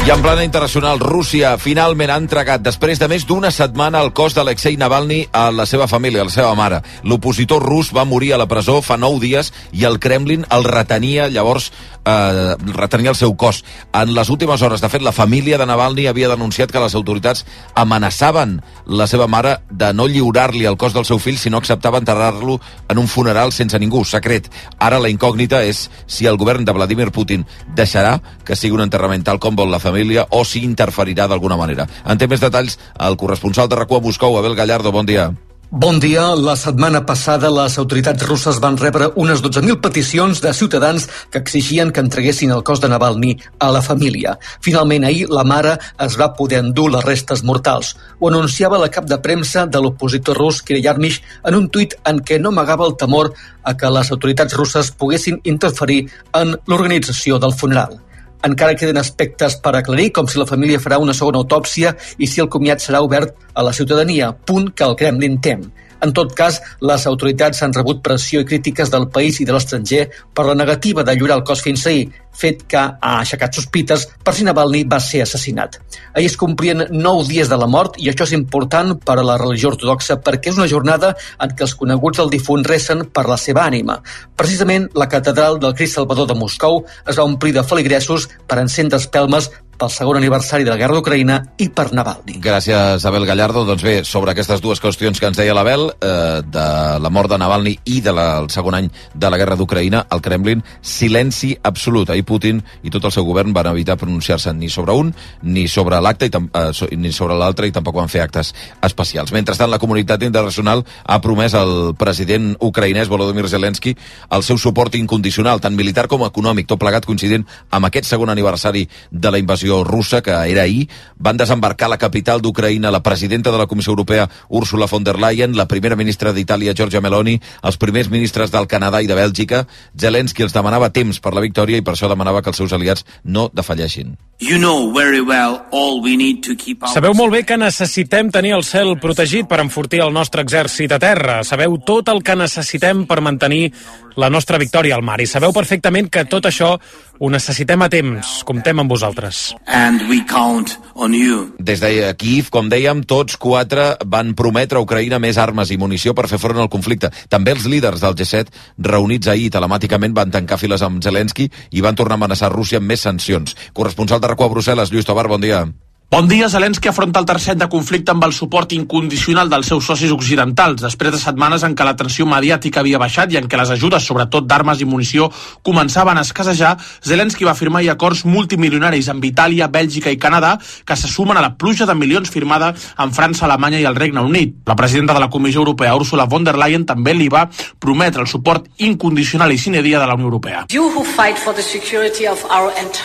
I en plana internacional, Rússia finalment ha entregat, després de més d'una setmana, el cos d'Alexei Navalny a la seva família, a la seva mare. L'opositor rus va morir a la presó fa nou dies i el Kremlin el retenia, llavors, eh, retenia el seu cos. En les últimes hores, de fet, la família de Navalny havia denunciat que les autoritats amenaçaven la seva mare de no lliurar-li el cos del seu fill si no acceptava enterrar-lo en un funeral sense ningú, secret. Ara la incògnita és si el govern de Vladimir Putin deixarà que sigui un enterrament tal com vol la família o si interferirà d'alguna manera. En té més detalls el corresponsal de RAC u a Moscou, Abel Gallardo. Bon dia. Bon dia. La setmana passada les autoritats russes van rebre unes dotze mil peticions de ciutadans que exigien que entreguessin el cos de Navalny a la família. Finalment, ahir, la mare es va poder endur les restes mortals. Ho anunciava la cap de premsa de l'opositor rus, Kirill Yarmysh, en un tuit en què no amagava el temor a que les autoritats russes poguessin interferir en l'organització del funeral. Encara queden aspectes per aclarir, com si la família farà una segona autòpsia i si el comiat serà obert a la ciutadania, punt que el Kremlin tem. En tot cas, les autoritats han rebut pressió i crítiques del país i de l'estranger per la negativa de lliurar el cos fins ahir, fet que ha aixecat sospites per si Navalny va ser assassinat. Ahir es complien nou dies de la mort i això és important per a la religió ortodoxa perquè és una jornada en què els coneguts del difunt recen per la seva ànima. Precisament, la catedral del Crist Salvador de Moscou es va omplir de feligresos per encendre espelmes pel segon aniversari de la guerra d'Ucraïna i per Navalny. Gràcies, Abel Gallardo. Doncs bé, sobre aquestes dues qüestions que ens deia l'Abel, eh, de la mort de Navalny i del de segon any de la guerra d'Ucraïna, el Kremlin, silenci absolut. Ahir Putin i tot el seu govern van evitar pronunciar-se ni sobre un, ni sobre l'acte, eh, ni sobre l'altre, i tampoc van fer actes especials. Mentrestant, la comunitat internacional ha promès al president ucraïnès Volodymyr Zelensky el seu suport incondicional, tant militar com econòmic, tot plegat coincidint amb aquest segon aniversari de la invasió invasió russa, que era ahir, van desembarcar a la capital d'Ucraïna la presidenta de la Comissió Europea, Ursula von der Leyen, la primera ministra d'Itàlia, Giorgia Meloni, els primers ministres del Canadà i de Bèlgica. Zelensky els demanava temps per la victòria i per això demanava que els seus aliats no defalleixin. You know very well all we need to keep our... Sabeu molt bé que necessitem tenir el cel protegit per enfortir el nostre exèrcit a terra. Sabeu tot el que necessitem per mantenir la nostra victòria al mar. I sabeu perfectament que tot això ho necessitem a temps. Comptem amb vosaltres. And we count on you. Des de Kyiv, com dèiem, tots quatre van prometre a Ucraïna més armes i munició per fer front al conflicte. També els líders del G set, reunits ahir telemàticament, van tancar files amb Zelensky i van tornar a amenaçar Rússia amb més sancions. Corresponsal de RAC u a Brussel·les, Lluís Tobar, bon dia. Bon dia. Zelensky afronta el tercer any de conflicte amb el suport incondicional dels seus socis occidentals, després de setmanes en què la tensió mediàtica havia baixat i en què les ajudes, sobretot d'armes i munició, començaven a escassejar. Zelensky va firmar acords multimilionaris amb Itàlia, Bèlgica i Canadà, que se sumen a la pluja de milions firmada amb França, Alemanya i el Regne Unit. La presidenta de la Comissió Europea, Ursula von der Leyen, també li va prometre el suport incondicional i sine dia de la Unió Europea.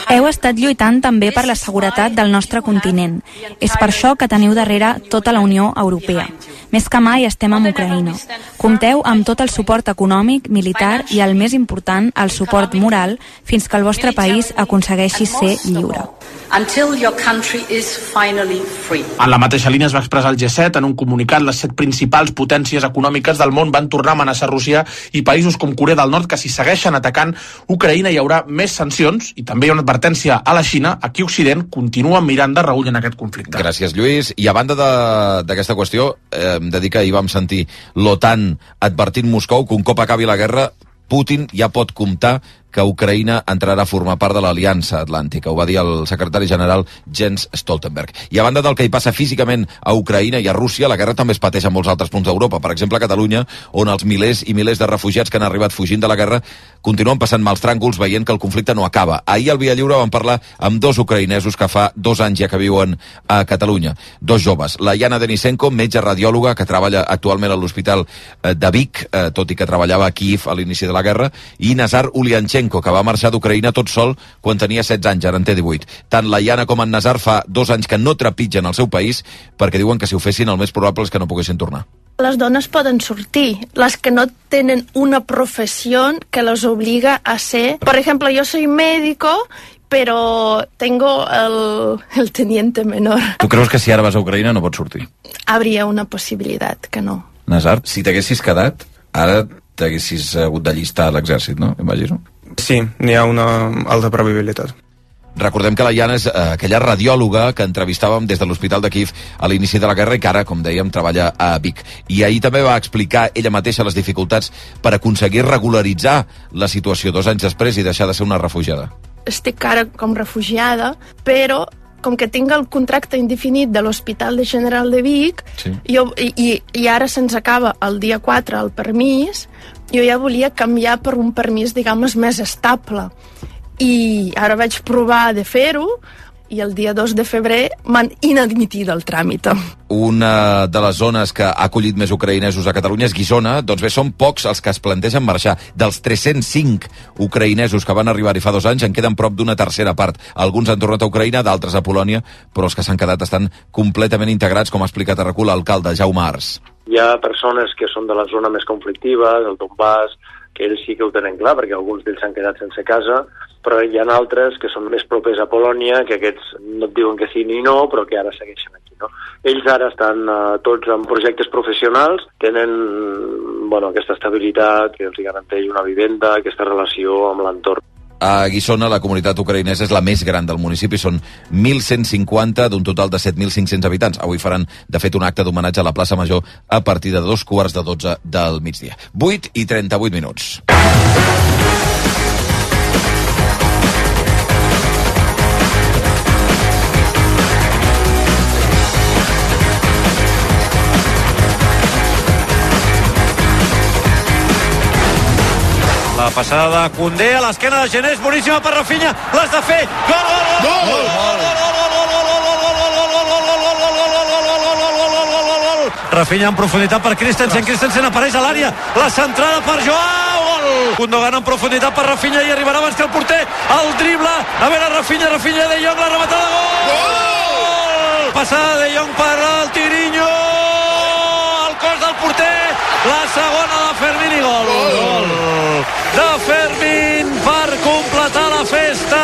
Heu estat lluitant també per la seguretat del nostre continent. És per això que teniu darrere tota la Unió Europea. Més que mai estem amb Ucraïna. Compteu amb tot el suport econòmic, militar i, el més important, el suport moral fins que el vostre país aconsegueixi ser lliure. En la mateixa línia es va expressar el G set en un comunicat. Les set principals potències econòmiques del món van tornar a amenaçar Rússia i països com Corea del Nord, que si segueixen atacant Ucraïna hi haurà més sancions, i també hi ha una advertència a la Xina. Aquí Occident continua mirant de reüll en aquest conflicte. Gràcies, Lluís. I a banda d'aquesta qüestió, eh, hem de dir que ahir vam sentir l'OTAN advertint Moscou que un cop acabi la guerra, Putin ja pot comptar que Ucraïna entrarà a formar part de l'Aliança Atlàntica. Ho va dir el secretari general Jens Stoltenberg. I a banda del que hi passa físicament a Ucraïna i a Rússia, la guerra també es pateix en molts altres punts d'Europa. Per exemple, a Catalunya, on els milers i milers de refugiats que han arribat fugint de la guerra continuen passant mals tràngols veient que el conflicte no acaba. Ahir al Via Lliure vam parlar amb dos ucraïnesos que fa dos anys ja que viuen a Catalunya. Dos joves. La Yana Denisenko, metge radiòloga que treballa actualment a l'Hospital de Vic, tot i que treballava a Kyiv a l'inici de la guerra, i Nazar Ulianchenko, que va marxar d'Ucraïna tot sol quan tenia setze anys, ara en té divuit. Tant la Yana com en Nazar fa dos anys que no trepitgen el seu país perquè diuen que si ho fessin el més probable és que no poguessin tornar. Les dones poden sortir, les que no tenen una professió que les obliga a ser... Por ejemplo, yo soy médico, pero tengo el, el teniente menor. Tu creus que si ara vas a Ucraïna no pots sortir? Habría una possibilitat que no. Nazar, si t'haguessis quedat, ara t'haguessis hagut d'allistar a l'exèrcit, no? Imagino. Sí, n'hi ha una alta probabilitat. Recordem que la Yana és eh, aquella radiòloga que entrevistàvem des de l'Hospital de Kyiv a l'inici de la guerra i que ara, com dèiem, treballa a Vic. I ahir també va explicar ella mateixa les dificultats per aconseguir regularitzar la situació dos anys després i deixar de ser una refugiada. Estic ara com refugiada, però com que tinc el contracte indefinit de l'Hospital de General de Vic, sí. jo, i, i ara se'ns acaba el dia quatre el permís, jo ja volia canviar per un permís, diguem, més estable. I ara vaig provar de fer-ho i el dia dos de febrer m'han inadmitit el tràmit. Una de les zones que ha acollit més ucraïnesos a Catalunya és Guissona. Doncs bé, són pocs els que es plantegen marxar. Dels tres-cents cinc ucraïnesos que van arribar-hi fa dos anys en queden prop d'una tercera part. Alguns han tornat a Ucraïna, d'altres a Polònia, però els que s'han quedat estan completament integrats, com ha explicat a RAC u l'alcalde Jaume Ars. Hi ha persones que són de la zona més conflictiva, del Donbass, que ells sí que ho tenen clar, perquè alguns d'ells s'han quedat sense casa, però hi ha altres que són més propers a Polònia, que aquests no et diuen que sí ni no, però que ara segueixen aquí, no? Ells ara estan uh, tots en projectes professionals, tenen bueno, aquesta estabilitat que els garanteix una vivenda, aquesta relació amb l'entorn. A Guissona, la comunitat ucraïnesa és la més gran del municipi. Són mil cent cinquanta d'un total de set mil cinc-cents habitants. Avui faran, de fet, un acte d'homenatge a la plaça Major a partir de dos quarts de dotze del migdia. vuit i trenta-vuit minuts. La passada de Koundé a l'esquena de Genés, boníssima per Rafinha, l'has de fer, gol, gol, gol, gol, Rafinha en profunditat per Christensen, Christensen apareix a l'àrea, la centrada per Joao, gol! Gundogan en profunditat per Rafinha i arribarà abans que el porter, el dribla, a veure Rafinha, Rafinha de Jong, la rematada, gol! Gol! Passada de Jong per el Tirinho, el cos del porter, la segona de Fermín i gol! Gol! De Fermín per completar la festa!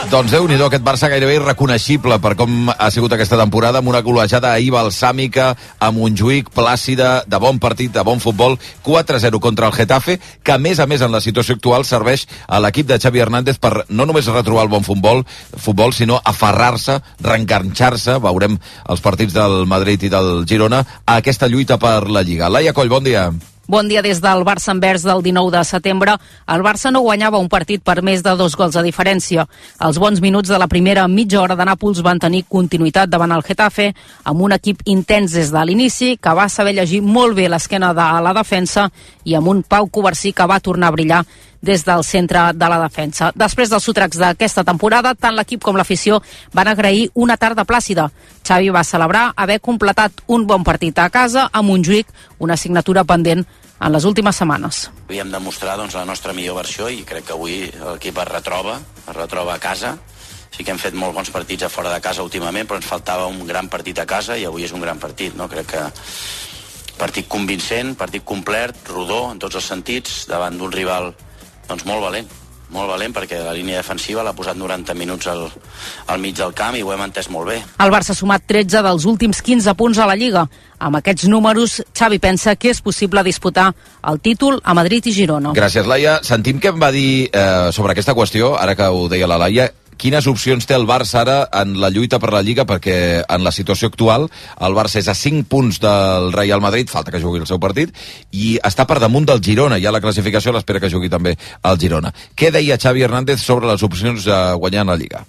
Doncs Déu-n'hi-do, aquest Barça gairebé irreconeixible per com ha sigut aquesta temporada, amb una golejada ahir balsàmica, a Montjuïc, plàcida, de bon partit, de bon futbol, quatre a zero contra el Getafe, que a més a més en la situació actual serveix a l'equip de Xavi Hernández per no només retrobar el bon futbol, futbol sinó aferrar-se, reenganxar-se, veurem els partits del Madrid i del Girona, a aquesta lluita per la Lliga. Laia Coll, bon dia. Bon dia des del Barça Envers del dinou de setembre. El Barça no guanyava un partit per més de dos gols de diferència. Els bons minuts de la primera mitja hora de Nàpols van tenir continuïtat davant el Getafe, amb un equip intens des de l'inici, que va saber llegir molt bé l'esquena de la defensa i amb un Pau Covarsí que va tornar a brillar des del centre de la defensa. Després dels sotracs d'aquesta temporada, tant l'equip com l'afició van agrair una tarda plàcida. Xavi va celebrar haver completat un bon partit a casa a Montjuïc, una assignatura pendent en les últimes setmanes. Havíem de mostrar doncs, la nostra millor versió i crec que avui l'equip es retroba, es retroba a casa. Sí que hem fet molt bons partits a fora de casa últimament, però ens faltava un gran partit a casa i avui és un gran partit, no? Crec que partit convincent, partit complet, rodó en tots els sentits, davant d'un rival doncs molt valent, molt valent perquè la línia defensiva l'ha posat noranta minuts al, al mig del camp i ho hem entès molt bé. El Barça ha sumat tretze dels últims quinze punts a la Lliga. Amb aquests números, Xavi pensa que és possible disputar el títol a Madrid i Girona. Gràcies, Laia. Sentim què em va dir eh, sobre aquesta qüestió, ara que ho deia la Laia. Quines opcions té el Barça ara en la lluita per la Lliga? Perquè en la situació actual el Barça és a cinc punts del Real Madrid, falta que jugui el seu partit, i està per damunt del Girona. Ja la classificació a l'espera que jugui també el Girona. Què deia Xavi Hernández sobre les opcions de guanyar en la Lliga?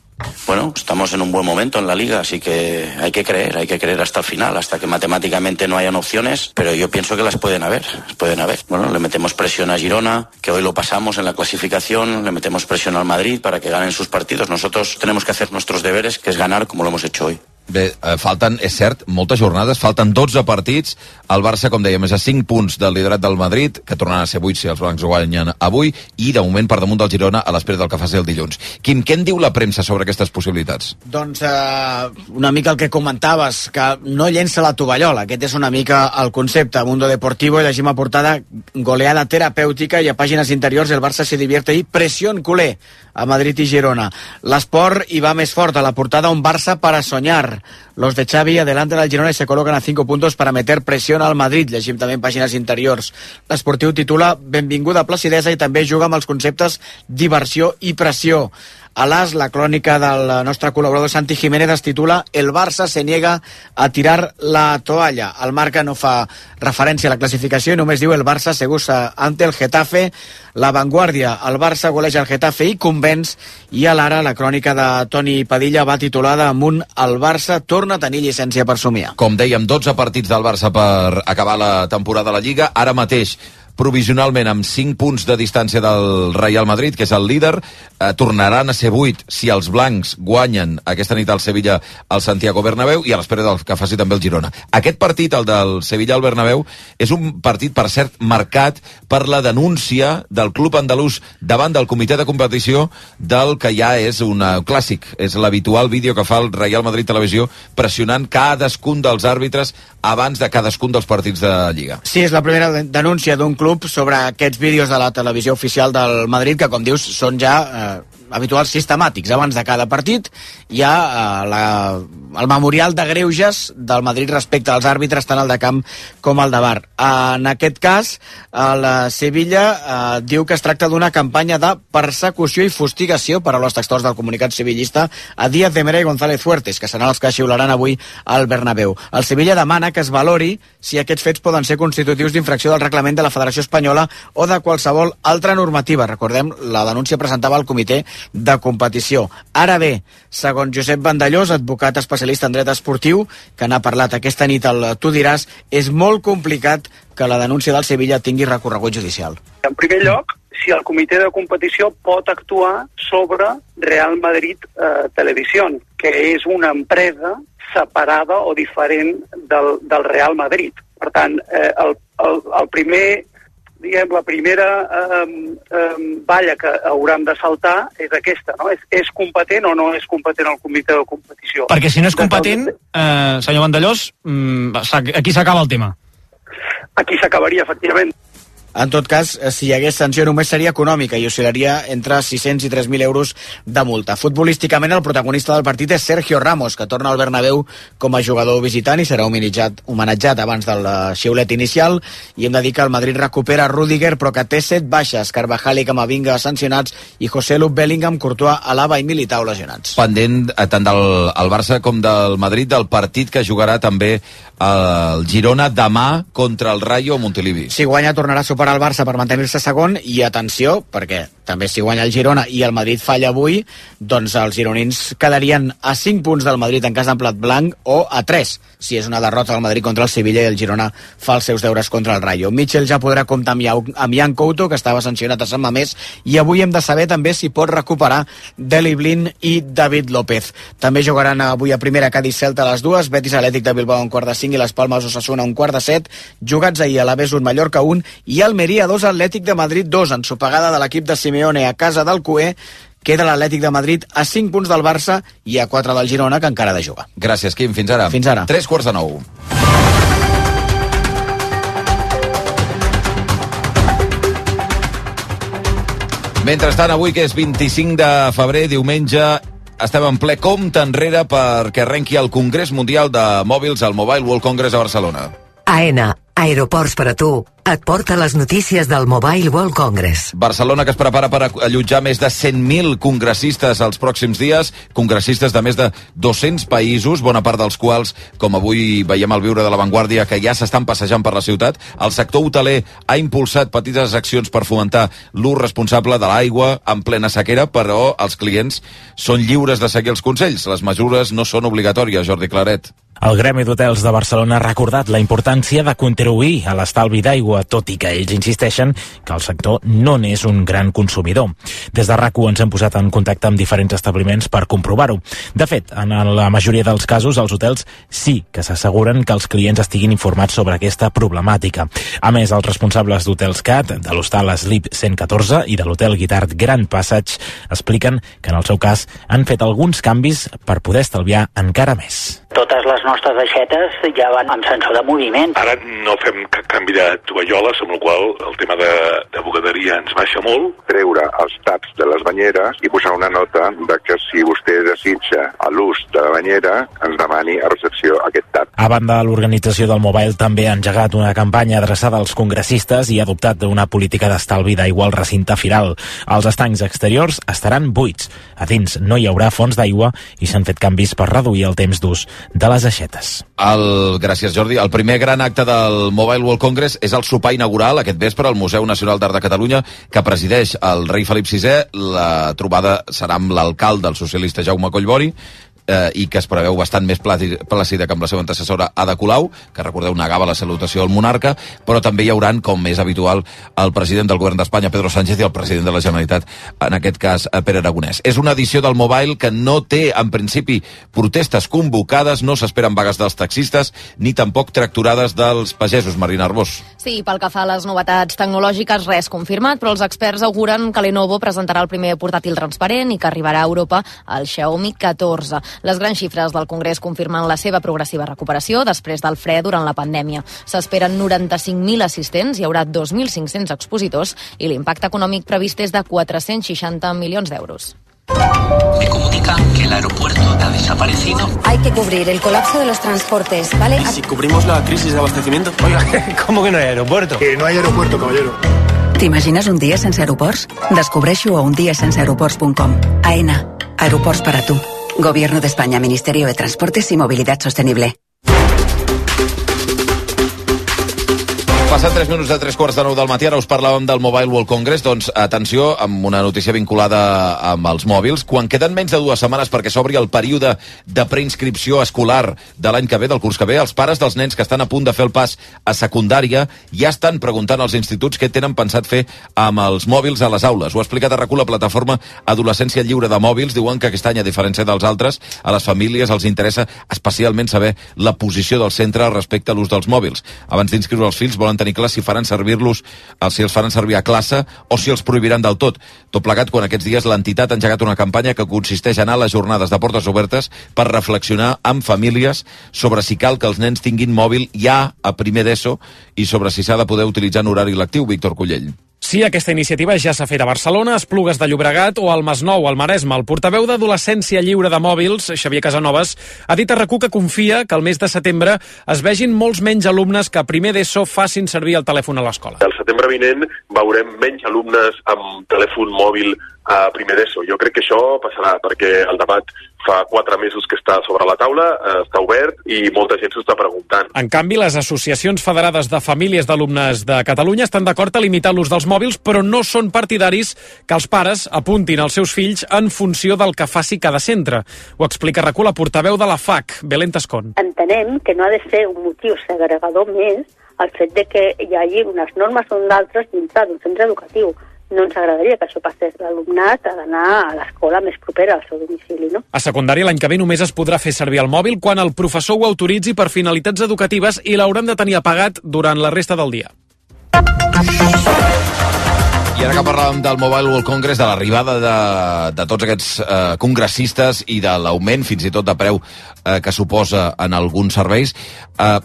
Bueno, estamos en un buen momento en la Liga, así que hay que creer, hay que creer hasta el final, hasta que matemáticamente no hayan opciones, pero yo pienso que las pueden haber, pueden haber. Bueno, le metemos presión a Girona, que hoy lo pasamos en la clasificación, le metemos presión al Madrid para que ganen sus partidos. Nosotros tenemos que hacer nuestros deberes, que es ganar como lo hemos hecho hoy. Bé, eh, falten, és cert, moltes jornades, falten dotze partits, el Barça, com dèiem, és a cinc punts del liderat del Madrid, que tornaran a ser vuit si els blancs guanyen avui, i de moment per damunt del Girona a l'espera del que faci el dilluns. Quim, què en diu la premsa sobre aquestes possibilitats? Doncs eh, una mica el que comentaves, que no llença la tovallola, aquest és una mica el concepte. A Mundo Deportivo i llegim a portada goleada terapèutica i a pàgines interiors el Barça se divierte i pressió en culer a Madrid i Girona. L'esport hi va més fort, a la portada un Barça para soñar. Los de Xavi adelantan al Girona y se colocan a cinco puntos para meter presión al Madrid. Llegim també en pàgines interiors. L'Esportiu titula benvinguda placidesa i també juga amb els conceptes diversió i pressió. A l'As, la crònica del nostre col·laborador Santi Jiménez es titula El Barça se niega a tirar la toalla. El Marca no fa referència a la classificació i només diu el Barça segurs ante el Getafe. La Vanguardia, el Barça goleja el Getafe i convenç, i a l'Ara la crònica de Toni Padilla va titulada amb un El Barça torna a tenir llicència per somiar. Com dèiem, dotze partits del Barça per acabar la temporada a la Lliga. Ara mateix provisionalment amb cinc punts de distància del Real Madrid, que és el líder, eh, tornaran a ser vuit si els blancs guanyen aquesta nit al Sevilla al Santiago Bernabéu i a l'espera del que faci també el Girona. Aquest partit, el del Sevilla al Bernabéu, és un partit, per cert, marcat per la denúncia del club andalús davant del comitè de competició del que ja és un clàssic, és l'habitual vídeo que fa el Real Madrid Televisió pressionant cadascun dels àrbitres abans de cadascun dels partits de Lliga. Sí, és la primera denúncia d'un club sobre aquests vídeos de la televisió oficial del Madrid, que com dius són ja eh, habituals sistemàtics. Abans de cada partit hi ha eh, la, el memorial de greuges del Madrid respecte als àrbitres, tant el de camp com el de bar. En aquest cas, el Sevilla eh, diu que es tracta d'una campanya de persecució i fustigació, paraules textuals del comunicat sevillista, a Díaz de Mera i González Fuertes, que seran els que xiularan avui al Bernabéu. El Sevilla demana que es valori si aquests fets poden ser constitutius d'infracció del reglament de la Federació Espanyola o de qualsevol altra normativa. Recordem, la denúncia presentava al comitè de competició. Ara bé, segons Josep Vandellós, advocat especialista en dret esportiu, que n'ha parlat aquesta nit al Tu diràs, és molt complicat que la denúncia del Sevilla tingui recorregut judicial. En primer lloc, si el comitè de competició pot actuar sobre Real Madrid eh, Televisión, que és una empresa separada o diferent del, del Real Madrid. Per tant, eh, el, el, el primer, diguem, la primera eh, eh, valla que haurem de saltar és aquesta, no? És, és competent o no és competent el comitè de competició? Perquè si no és competent, eh, senyor Vandellós, aquí s'acaba el tema. Aquí s'acabaria, efectivament. En tot cas, si hi hagués sanció només seria econòmica i oscil·laria entre sis-cents i tres mil euros de multa. Futbolísticament, el protagonista del partit és Sergio Ramos, que torna al Bernabéu com a jugador visitant i serà homenatjat, homenatjat abans del xiulet inicial. I hem de dir que el Madrid recupera Rüdiger, però que té set baixes. Carvajal i Camavinga sancionats i Joselu, Bellingham, Courtois, Alaba i Militao lesionats. Pendent tant del el Barça com del Madrid, del partit que jugarà també el Girona demà contra el Rayo Montilivi. Si guanya, tornarà a superar el Barça per mantenir-se segon, i atenció, perquè també si guanya el Girona i el Madrid falla avui, doncs els gironins quedarien a cinc punts del Madrid en cas d'emplat blanc, o a tres, si és una derrota del Madrid contra el Sevilla i el Girona fa els seus deures contra el Rayo. Mitchell ja podrà comptar amb, Iau, amb Jan Couto, que estava sancionat a Sant Mamés, i avui hem de saber també si pot recuperar Deli Blin i David López. També jugaran avui a primera Cádiz-Celta a les dues, Betis Atlètic de Bilbao a un quart de cinc i les Palmes Osasuna a un quart de set, jugats ahir a l'Aves un Mallorca un i Almeria dos Atlètic de Madrid dos, ensopegada de l'equip de Simeone a casa del Cué. Queda l'Atlètic de Madrid a cinc punts del Barça i a quatre del Girona, que encara ha de jugar. Gràcies, Quim. Fins ara. Fins ara. Tres quarts de nou. Mentrestant, avui, que és vint-i-cinc de febrer, diumenge, estem en ple compte enrere perquè arrenqui el Congrés Mundial de Mòbils, el Mobile World Congress a Barcelona. AENA, Aeroports per a tu, et porta les notícies del Mobile World Congress. Barcelona, que es prepara per allotjar més de cent mil congressistes els pròxims dies, congressistes de més de dos-cents països, bona part dels quals, com avui veiem al Viure de la Vanguardia, que ja s'estan passejant per la ciutat. El sector hoteler ha impulsat petites accions per fomentar l'ús responsable de l'aigua en plena sequera, però els clients són lliures de seguir els consells. Les mesures no són obligatòries, Jordi Claret. El Gremi d'Hotels de Barcelona ha recordat la importància de contribuir a l'estalvi d'aigua, tot i que ells insisteixen que el sector no n'és un gran consumidor. Des de RAC u ens hem posat en contacte amb diferents establiments per comprovar-ho. De fet, en la majoria dels casos, els hotels sí que s'asseguren que els clients estiguin informats sobre aquesta problemàtica. A més, els responsables d'Hotels Cat, de l'hostal Sleep cent catorze i de l'hotel Guitart Grand Passage expliquen que en el seu cas han fet alguns canvis per poder estalviar encara més. Totes les nostres aixetes ja van amb sensor de moviment. Ara no fem cap canvi de tovalloles, amb la qual el tema de, de bugaderia ens baixa molt. Treure els taps de les banyeres i posar una nota de que si vostè desitja l'ús de la banyera, ens demani a recepció aquest tap. A banda, l'organització del Mobile també ha engegat una campanya adreçada als congressistes i ha adoptat una política d'estalvi d'aigua al recinte firal. Els estancs exteriors estaran buits. A dins no hi haurà fonts d'aigua i s'han fet canvis per reduir el temps d'ús de les aixetes. El, gràcies, Jordi. El primer gran acte del Mobile World Congress és el sopar inaugural aquest vespre al Museu Nacional d'Art de Catalunya, que presideix el rei Felip sisè. La trobada serà amb l'alcalde, el socialista Jaume Collboni, eh, i que es preveu bastant més plàcida que amb la seva antecessora Ada Colau, que, recordeu, negava la salutació al monarca, però també hi hauran, com és habitual, el president del govern d'Espanya, Pedro Sánchez, i el president de la Generalitat, en aquest cas, Pere Aragonès. És una edició del Mobile que no té, en principi, protestes convocades, no s'esperen vagues dels taxistes, ni tampoc tracturades dels pagesos. Marina Arbós. Sí, pel que fa a les novetats tecnològiques, res confirmat, però els experts auguren que Lenovo presentarà el primer portàtil transparent i que arribarà a Europa el Xiaomi catorze. Les grans xifres del Congrés confirmen la seva progressiva recuperació després del fre durant la pandèmia. S'esperen noranta-cinc mil assistents, hi haurà dos mil cinc-cents expositors i l'impacte econòmic previst és de quatre-cents seixanta milions d'euros. Me comunican que el aeropuerto ha desaparecido. Hay que cubrir el colapso de los transportes, ¿vale? ¿Y si cubrimos la crisis de abastecimiento? Oiga, ¿cómo que no hay aeropuerto? Que no hay aeropuerto, caballero. T'imagines un dia sense aeroports? Descobreixo a un dia sense aeroports punt com. AENA, aeroports para tu. Gobierno de España, Ministerio de Transportes y Movilidad Sostenible. Passant tres minuts de tres quarts de nou del matí, ara us parlàvem del Mobile World Congress, doncs atenció amb una notícia vinculada amb els mòbils. Quan queden menys de dues setmanes perquè s'obri el període de preinscripció escolar de l'any que ve, del curs que ve, els pares dels nens que estan a punt de fer el pas a secundària ja estan preguntant als instituts què tenen pensat fer amb els mòbils a les aules. Ho ha explicat a RAC u la plataforma Adolescència Lliure de Mòbils. Diuen que aquest any, a diferència dels altres, a les famílies els interessa especialment saber la posició del centre respecte a l'ús dels mòbils. Abans d'inscriure els fills volen tenir clar si faran servir-los, si els faran servir a classe o si els prohibiran del tot. Tot plegat quan aquests dies l'entitat ha engegat una campanya que consisteix en anar a les jornades de portes obertes per reflexionar amb famílies sobre si cal que els nens tinguin mòbil ja a primer d'ESO i sobre si s'ha de poder utilitzar en horari lectiu. Víctor Cullell. Sí, aquesta iniciativa ja s'ha fet a Barcelona, a Esplugues de Llobregat o al Masnou, al Maresme. El portaveu d'Adolescència Lliure de Mòbils, Xavier Casanovas, ha dit a RAC u que confia que el mes de setembre es vegin molts menys alumnes que a primer d'ESO facin servir el telèfon a l'escola. El setembre vinent veurem menys alumnes amb telèfon mòbil a primer d'ESO. Jo crec que això passarà perquè el debat fa quatre mesos que està sobre la taula, està obert i molta gent s'ho està preguntant. En canvi, les associacions federades de famílies d'alumnes de Catalunya estan d'acord a limitar l'ús dels mòbils, però no són partidaris que els pares apuntin els seus fills en funció del que faci cada centre. Ho explica RAC u la portaveu de la F A C, Belén Tascón. Entenem que no ha de ser un motiu segregador més el fet de que hi hagi unes normes o d'altres dintre d'un centre educatiu. No ens agradaria que això passés. L'alumnat ha d'anar a l'escola més propera al seu domicili, no? A secundària l'any que ve només es podrà fer servir el mòbil quan el professor ho autoritzi per finalitats educatives i l'hauran de tenir apagat durant la resta del dia. I ara que parlàvem del Mobile World Congress, de l'arribada de, de tots aquests eh, congressistes i de l'augment fins i tot de preu eh, que suposa en alguns serveis, eh,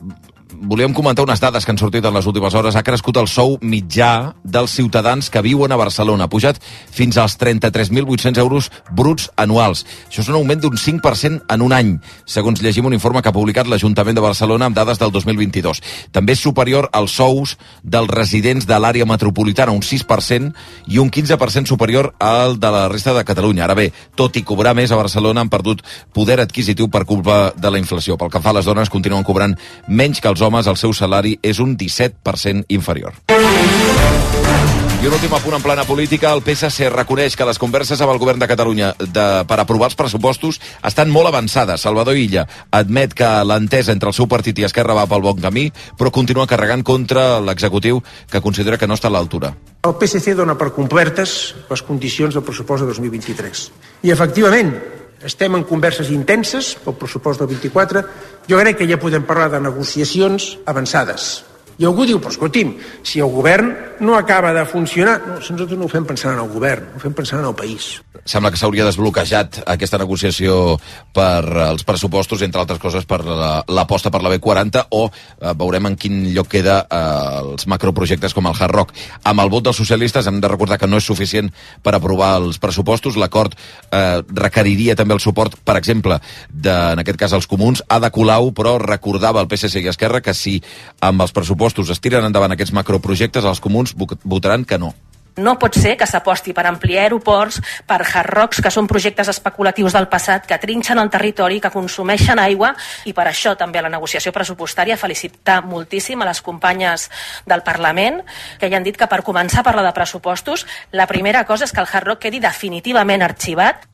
volíem comentar unes dades que han sortit en les últimes hores. Ha crescut el sou mitjà dels ciutadans que viuen a Barcelona. Ha pujat fins als trenta-tres mil vuit-cents euros bruts anuals. Això és un augment d'un cinc per cent en un any, segons llegim un informe que ha publicat l'Ajuntament de Barcelona amb dades del dos mil vint-i-dos. També és superior als sous dels residents de l'àrea metropolitana, un sis per cent, i un quinze per cent superior al de la resta de Catalunya. Ara bé, tot i cobrar més a Barcelona, han perdut poder adquisitiu per culpa de la inflació. Pel que fa a les dones, continuen cobrant menys que els homes. El seu salari és un disset per cent inferior. I un últim apunt en plana política. El P S C reconeix que les converses amb el govern de Catalunya de, per aprovar els pressupostos estan molt avançades. Salvador Illa admet que l'entesa entre el seu partit i Esquerra va pel bon camí, però continua carregant contra l'executiu, que considera que no està a l'altura. El P S C dona per complertes les condicions del pressupost de dos mil vint-i-tres. I, efectivament, estem en converses intenses pel pressupost del vint-i-quatre. Jo crec que ja podem parlar de negociacions avançades. I algú diu, però escolti'm, si el govern no acaba de funcionar... No, nosaltres no ho fem pensant en el govern, ho fem pensant en el país. Sembla que s'hauria desbloquejat aquesta negociació per els pressupostos, entre altres coses per l'aposta per la B quaranta, o eh, veurem en quin lloc queda eh, els macroprojectes com el Hard Rock. Amb el vot dels socialistes hem de recordar que no és suficient per aprovar els pressupostos. L'acord eh, requeriria també el suport, per exemple, de, en aquest cas els comuns. Ada Colau, però recordava al P S C i Esquerra que si amb els pressupostos es tiren endavant aquests macroprojectes, els comuns votaran que no. No pot ser que s'aposti per ampliar aeroports, per hard rocks, que són projectes especulatius del passat, que trinxen el territori, que consumeixen aigua, i per això també a la negociació pressupostària felicitar moltíssim a les companyes del Parlament, que ja han dit que per començar a parlar de pressupostos, la primera cosa és que el hard rock quedi definitivament arxivat.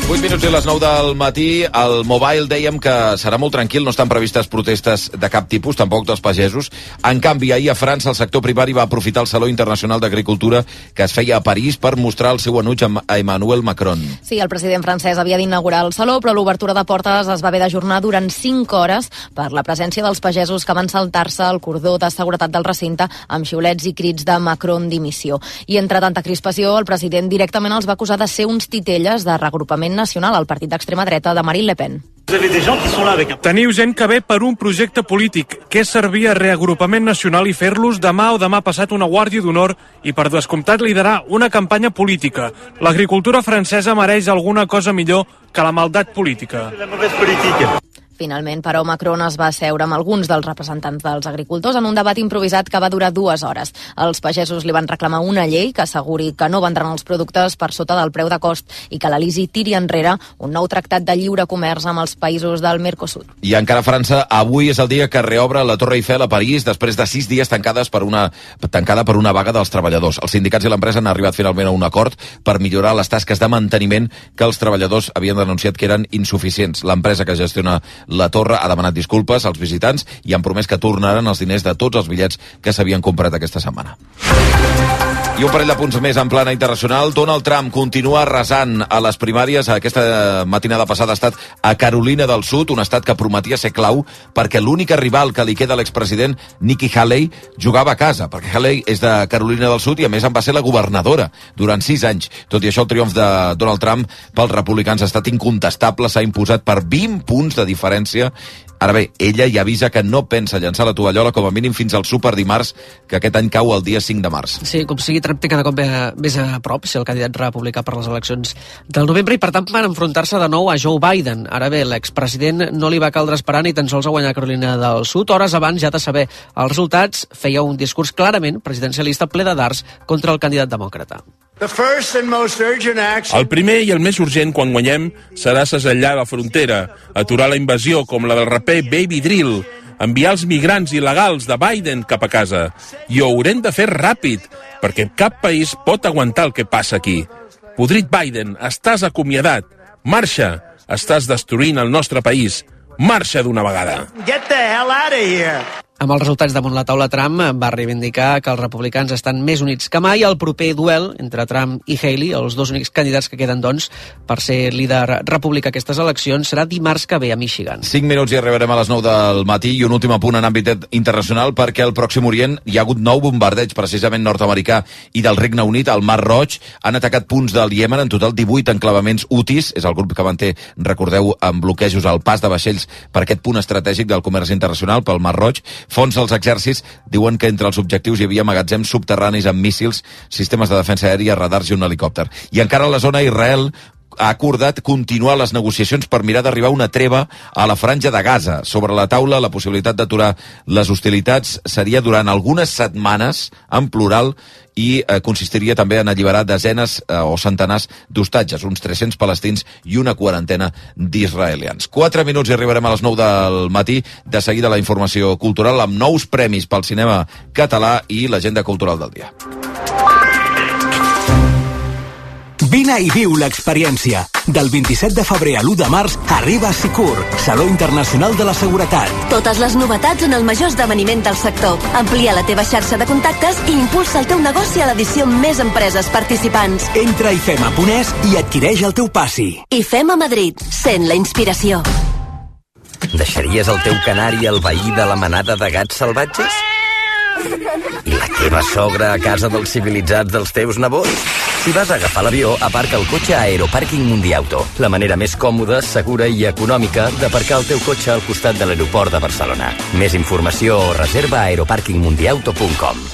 vuit minuts i les nou del matí. Al Mobile dèiem que serà molt tranquil, no estan previstes protestes de cap tipus, tampoc dels pagesos. En canvi, ahir a França el sector primari va aprofitar el Saló Internacional d'Agricultura que es feia a París per mostrar el seu enuig a Emmanuel Macron. Sí, el president francès havia d'inaugurar el Saló, però l'obertura de portes es va haver d'ajornar durant cinc hores per la presència dels pagesos que van saltar-se el cordó de seguretat del recinte amb xiulets i crits de Macron dimissió. I entre tanta crispació, el president directament els va acusar de ser uns titelles de reagrupament nacional al partit d'extrema dreta de Marine Le Pen. Teniu gent que ve per un projecte polític, que és servir a reagrupament nacional i fer-los demà o demà passat una guàrdia d'honor i per descomptat liderar una campanya política. L'agricultura francesa mereix alguna cosa millor que la maldat política. Finalment, però, Macron es va asseure amb alguns dels representants dels agricultors en un debat improvisat que va durar dues hores. Els pagesos li van reclamar una llei que asseguri que no vendran els productes per sota del preu de cost i que l'Elisi tiri enrere un nou tractat de lliure comerç amb els països del Mercosur. I encara a França, avui és el dia que reobre la Torre Eiffel a París després de sis dies tancades per una, tancada per una vaga dels treballadors. Els sindicats i l'empresa han arribat finalment a un acord per millorar les tasques de manteniment que els treballadors havien denunciat que eren insuficients. L'empresa que gestiona la torre ha demanat disculpes als visitants i han promès que tornaran els diners de tots els bitllets que s'havien comprat aquesta setmana. I un parell de punts més en plana internacional. Donald Trump continua arrasant a les primàries. Aquesta matinada passada ha estat a Carolina del Sud, un estat que prometia ser clau perquè l'única rival que li queda a l'expresident Nikki Haley jugava a casa, perquè Haley és de Carolina del Sud i a més en va ser la governadora durant sis anys. Tot i això, el triomf de Donald Trump pels republicans ha estat incontestable, s'ha imposat per vint punts de diferència. Ara bé, ella ja avisa que no pensa llançar la tovallola com a mínim fins al súper dimarts, que aquest any cau el dia cinc de març. Sí, com sigui, Trump té cada cop més a prop ser el candidat republicà per les eleccions del novembre i per tant van enfrontar-se de nou a Joe Biden. Ara bé, l'expresident no li va caldre esperar ni tan sols a guanyar Carolina del Sud. Hores abans ja de saber els resultats, feia un discurs clarament presidencialista ple de dards contra el candidat demòcrata. El primer i el més urgent quan guanyem serà segellar la frontera, aturar la invasió com la del raper Baby Drill, enviar els migrants il·legals de Biden cap a casa. I ho haurem de fer ràpid, perquè cap país pot aguantar el que passa aquí. Podrit Biden, estàs acomiadat. Marxa, estàs destruint el nostre país. Marxa d'una vegada. Get the hell out of here! Amb els resultats damunt la taula, Trump va reivindicar que els republicans estan més units que mai. El proper duel entre Trump i Haley, els dos únics candidats que queden, doncs, per ser líder republicà aquestes eleccions, serà dimarts que ve a Michigan. Cinc minuts i arribarem a les nou del matí i un últim apunt en àmbit internacional perquè al Pròxim Orient hi ha hagut nou bombardeig, precisament nord-americà i del Regne Unit, al Mar Roig. Han atacat punts del Iemen, en total divuit enclavaments Houthis, és el grup que manté, recordeu, amb bloquejos al pas de vaixells per aquest punt estratègic del comerç internacional pel Mar Roig. Fons dels exèrcits diuen que entre els objectius hi havia magatzems subterranis amb míssils, sistemes de defensa aèria, radars i un helicòpter. I encara a la zona, Israel ha acordat continuar les negociacions per mirar d'arribar a una treva a la franja de Gaza. Sobre la taula, la possibilitat d'aturar les hostilitats seria durant algunes setmanes, en plural, i eh, consistiria també en alliberar desenes eh, o centenars d'hostatges, uns tres-cents palestins i una quarantena d'israelians. Quatre minuts i arribarem a les nou del matí. De seguida la informació cultural amb nous premis pel cinema català i l'agenda cultural del dia. Vine i viu l'experiència. Del vint-i-set de febrer a l'u de març arriba a Sicur, Saló Internacional de la Seguretat. Totes les novetats en el major esdeveniment del sector. Amplia la teva xarxa de contactes i impulsa el teu negoci a l'edició amb més empreses participants. Entra a ifema punt es i adquireix el teu passi. IFEMA Madrid. Sent la inspiració. Deixaries el teu canari al veí de la manada de gats salvatges? I la teva sogra a casa dels civilitzats dels teus nebots? Si vas a agafar l'avió, aparca el cotxe a Aeropàrquing Mundiauto, la manera més còmoda, segura i econòmica d'aparcar el teu cotxe al costat de l'aeroport de Barcelona. Més informació o reserva a aeropàrquing mundiauto punt com.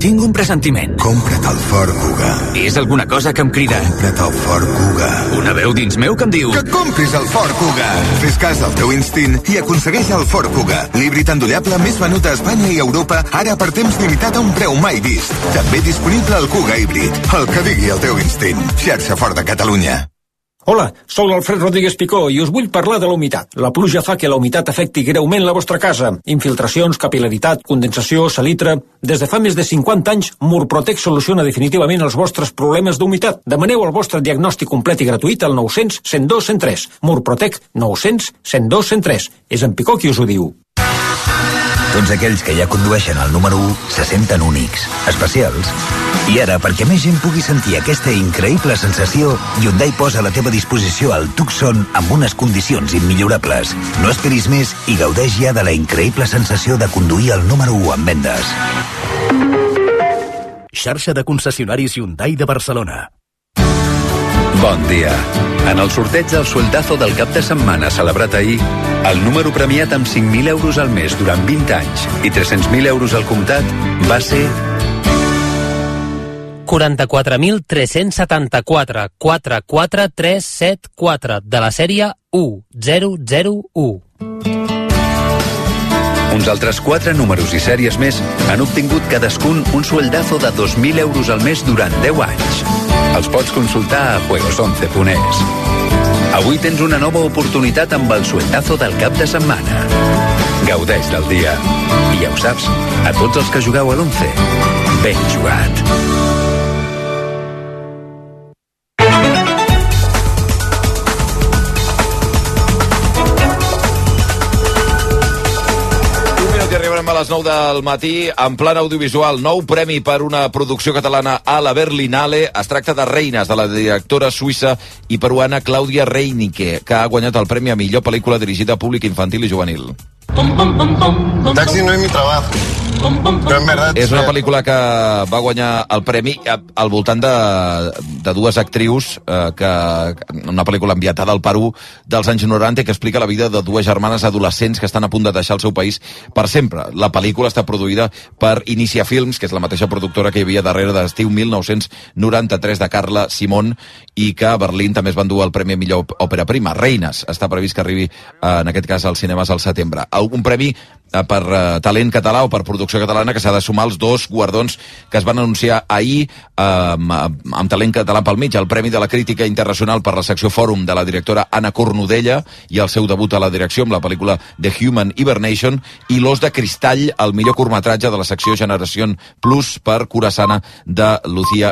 Tinc un pressentiment. Compra't el Ford Kuga. És alguna cosa que em crida. Compra't el Ford Kuga. Una veu dins meu que em diu... Que compris el Ford Kuga. Fes cas al teu instint i aconsegueix el Ford Kuga. L'híbrid endollable més venut a Espanya i Europa, ara per temps limitat a un preu mai vist. També disponible el Kuga híbrid. El que digui el teu instint. Xarxa Ford de Catalunya. Hola, sóc l'Alfred Rodríguez Picó i us vull parlar de la humitat. La pluja fa que la humitat afecti greument la vostra casa. Infiltracions, capil·laritat, condensació, salitre... Des de fa més de cinquanta anys, Murprotec soluciona definitivament els vostres problemes d'humitat. Demaneu el vostre diagnòstic complet i gratuït al nou cents, cent dos, cent tres. Murprotec nou cents, cent dos, cent tres. És en Picó qui us ho diu. Tots aquells que ja condueixen el número u se senten únics, especials. I ara, perquè més gent pugui sentir aquesta increïble sensació, Hyundai posa a la teva disposició el Tucson amb unes condicions immillorables. No esperis més i gaudeix ja de la increïble sensació de conduir el número u en vendes. Xarxa de concessionaris Hyundai de Barcelona. Bon dia. En el sorteig del sueldazo del cap de setmana celebrat ahir, el número premiat amb cinc mil euros al mes durant vint anys i tres-cents mil euros al comptat va ser... quaranta-quatre mil tres-cents setanta-quatre quatre quatre tres set quatre de la sèrie u zero zero u. Uns altres quatre números i sèries més han obtingut cadascun un sueldazo de dos mil euros al mes durant deu anys. Els pots consultar a juegos once punt es. Avui tens una nova oportunitat amb el sueldazo del cap de setmana. Gaudeix del dia. I ja ho saps, a tots els que jugueu a l'once, ben jugat. A les nou del matí, en plan audiovisual, nou premi per una producció catalana a la Berlinale. Es tracta de Reines, de la directora suïssa i peruana Clàudia Reinicke, que ha guanyat el premi a millor pel·lícula dirigida a públic infantil i juvenil. Taxi no és mi trabajo. Però en verdad, és una pel·lícula que va guanyar el premi al voltant de, de dues actrius, eh, que una pel·lícula ambientada al Perú dels anys noranta que explica la vida de dues germanes adolescents que estan a punt de deixar el seu país per sempre. La pel·lícula està produïda per Inicia Films, que és la mateixa productora que hi havia darrere d'Estiu mil nou-cents noranta-tres de Carla Simón, i que a Berlín també es van dur el premi a millor òpera prima. Reines està previst que arribi, en aquest cas, als cinemes al setembre. Un premi per uh, talent català o per producció catalana que s'ha de sumar als dos guardons que es van anunciar ahir uh, amb, amb talent català pel mig, el Premi de la Crítica Internacional per la secció Fòrum de la directora Anna Cornudella i el seu debut a la direcció amb la pel·lícula The Human Hibernation, i l'Os de Cristall, el millor curtmetratge de la secció Generación Plus per Curaçana de Lucía